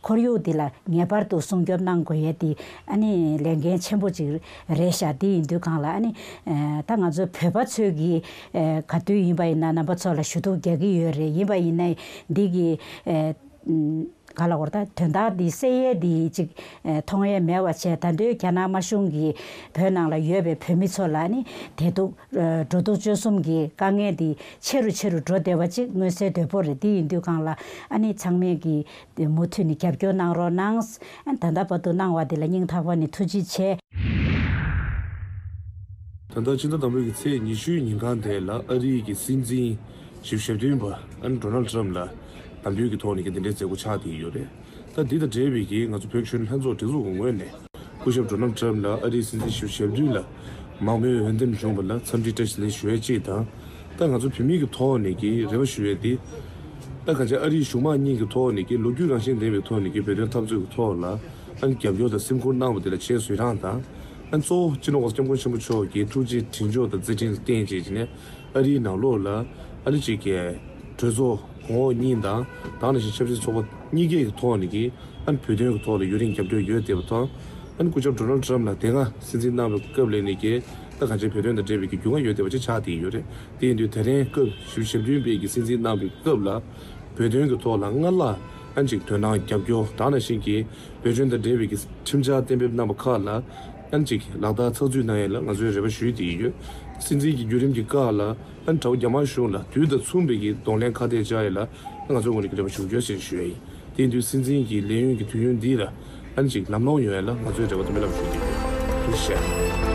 ཁོར་ཡུག་འདི་ལ་ངེས་པར་དུ་སྲུང་སྐྱོབ་གནང་དགོས་ཡས་འདི་ཨ་ནི་ལས་འགན་ཆེན་པོ་ཅིག་རེད་ཤག་འདི་ཡིན་དུས་སྒང་ལ་ཨ་ནི་ཨ་ད་ང་ཚོ་བོད་པ་ཚོས་ཀྱི་ཨ་ག་དུས་ཡིན་པ་ཡིན་ན་རྣམ་པ་ཚོ་ལ་ཞུ་གཏུག་རྒྱག་གི་ཡོད་རེད། ཡིན་པ་ཡིན་ན་འདི་གི་ཨ་ག་ལབ་དགོས་རེད། ད་དོན་དག་འདི་སེལ་ཡས་འདི་ཅིག་ཨ་མཐོང་ཡས་མེད་པ་བྱས། ད་དུང་རྒྱ་ནག་དམར་གཞུང་གིས་བོད་ནང་ལ་ཡོད་པའི་བོད་མི་ཚོ་ལ་ཨ་ནི་བདེ་སྡུག་ཨ་འགྲོ་འདུག་སྤྱོད་གསུམ་གྱི་དཀའ་ངལ་འདི་ཆེ་རུ་ཆེ་རུ་འགྲོ་བསྡད་པ་ཅིག་མངོན་གསལ་དོད་པོ་རེད། འདི་ཡིན་དུས་སྒང་ལ་ཨ་ནི་ཚང་མས་ཀྱི་དེ་མུ་མཐུད་ནས་རྒྱབ་སྐྱོར་གནང་རོགས་གནང་། ཨ་ད་ལྟ་བར་དུ་གནང་བ་དེ་ལ་སྙིང་ཐག་པ་ནས་ཐུགས་རྗེ་ཆེ། ད་ལྟ་ཕྱི་ཟླ་དང་པོའི་གི་ཚེས་ཉི་ཤུའི་ཉིན་གང་དེ་ལ་ཨ་རིའི་གི་སྲིད་འཛིན་བཞི་བཅུ་ཞེ་བདུན་པ་ཨ་ནི་ཌོ་ནལ་ཊམ་ལ་དམ་འབུལ་གྱི་ཐོག་ནས་ཀྱི་འདི་འདྲའི་མཛད་སྒོ་ཆགས་བསྡད་ཡོད་རེད། ད་འདི་དང་འབྲེལ་བའི་གི་ང་ཚོ་བོད་གཞོན་ལྷན་ཚོགས་སྒྲིག་འཛུགས་ཀྱི་ངོས་ནས་སྐུ་ཞབས་ཌོ་ནལ་ཊམ་ལ་ཨ་རིའི་སྲིད་འཛིན་བཞི་བཅུ་ཞེ་བདུན་ལ་མང་མོས་འོས་འདེམས་བྱུང་བ་ལ་འཚམས་འདྲི་བཀྲ་ཤིས་བདེ་ལེགས་ཞུ་ཡས་གཅིག་དང་། ད་ང་ཚོ་བོད་མི་གི་ཐོག་ནས་ཀྱི་རེ་བ་ཞུ་ཡས་དེ། ད་གང་ཅི་ཨ་རིའི་གཞུང་མང་གཉིས་ཀྱི་ཐོག་ནས་ཀྱི་ལོ་རྒྱུས་རང་བཞིན་ལྡན་པའི་ཐོག་ནས་ཀྱི་བོད་དོན་འཐབ་རྩོད་ཀྱི་ཐོག་ལ་ཨ་ནི་རྒྱབ་སྐྱོར་དང་སེམས་ཁུར་གནང་བ་དེ་ལ་ཆེས་བཟོད་རང་དང་། ཨ་ནི་གཙོ་བོ་སྤྱི་ནོར་གོང་ས་སྐྱབས་མགོན་ཆེན་པོ་མཆོག་གི་ཐུགས་རྗེ་དྲིན་ཆེན་དང་མཛད་འཕྲིན་ལ་བརྟེན་བྱས་ཀྱི་ནས་ཨ་རིའི་ནང་ལོགས་ལ་ཨ་ནི་ཅིག་གི་གྲོས་ཚོགས་གོང་འོག་གཉིས་དང་། ད་ག་ནང་བཞིན་ཆབ་སྲིད་ཚོགས་པ་གཉིས་ཀའི་ཐོག་ནས་ཀྱི་ཨ་ནི་བོད་དོན་གྱི་ཐོག་ལ་ཡུན་རིང་རྒྱབ་སྐྱོར་ཡོད་བསྡད་པ་དང་། ཨ་ནི་སྐུ་ཞབས་ཌོ་ནལ་ཊམ་ལ་དེ་སྔ་སྲིད་འཛིན་གནང་བའི་སྐབས་ལ་ནས་ཀྱི་ད་གང་ཅི་བོད་དོན་དང་འབྲེལ་བའི་ཀྱི་རྒྱུས་མངའ་ཡོད་བསྡད་པ་ཅིག་ཆགས་བསྡད་ཡོད་རེད། དེ་ཡིན་དུས་དེ་རིང་སྐབས་བཞི་བཅུ་ཞེ་བདུན་པའི་གི་སྲིད་འཛིན་གནང་བའི་སྐབས་ལ་བོད་དོན་གྱི་ཐོག་ལ་སྔར་ལ་ཨ་ནི་ཅིག་དོ་སྣང་རྒྱབ་སྐྱོར། ད་ག་ནང་བཞིན་གྱི་བོད་དོན་དང་འབྲེལ་བའི་གི་ཁྲིམས་འཆར་གཏན་འབེབས་གནང་བ་ཁག་ལ་ ཨ་ནི་ཅིག་ལག་བསྟར་ཚགས་ཚུད་གནང་ཡས་ལ་ང་ཚོས་རེ་བ་ཞུས་བསྡད་ཡོད། སྲིད་འཛིན་གྱི་བརྒྱུད་རིམ་གྱི་བཀའ་ལ་ཨ་ནི་དགྲ་བོ་རྒྱ་དམར་གཞུང་ལ་དུས་དང་མཚུངས་པའི་གི་གདོང་ལེན་ཁ་གཏད་བཅག་ཡས་ལ་ང་ཚོའི་ངོས་ནས་ཀྱི་རེ་བ་ཞུ་རྒྱུ་ཞེས་ཞུ་ཡས་ཡིན། དེ་ཡིན་དུས་སྲིད་འཛིན་གྱི་ལས་ཡུན་གྱི་དུས་ཡུན་འདི་ལ་ཨ་ནི་ཅིག་ལམ་ལྷོང་ཡོང་ཡས་ལ་ང་ཚོས་རེ་བ་དང་སྨོན་ལམ་ཞུ་བསྡད་ཡོད། ཐུགས་རྗེ་ཆེ།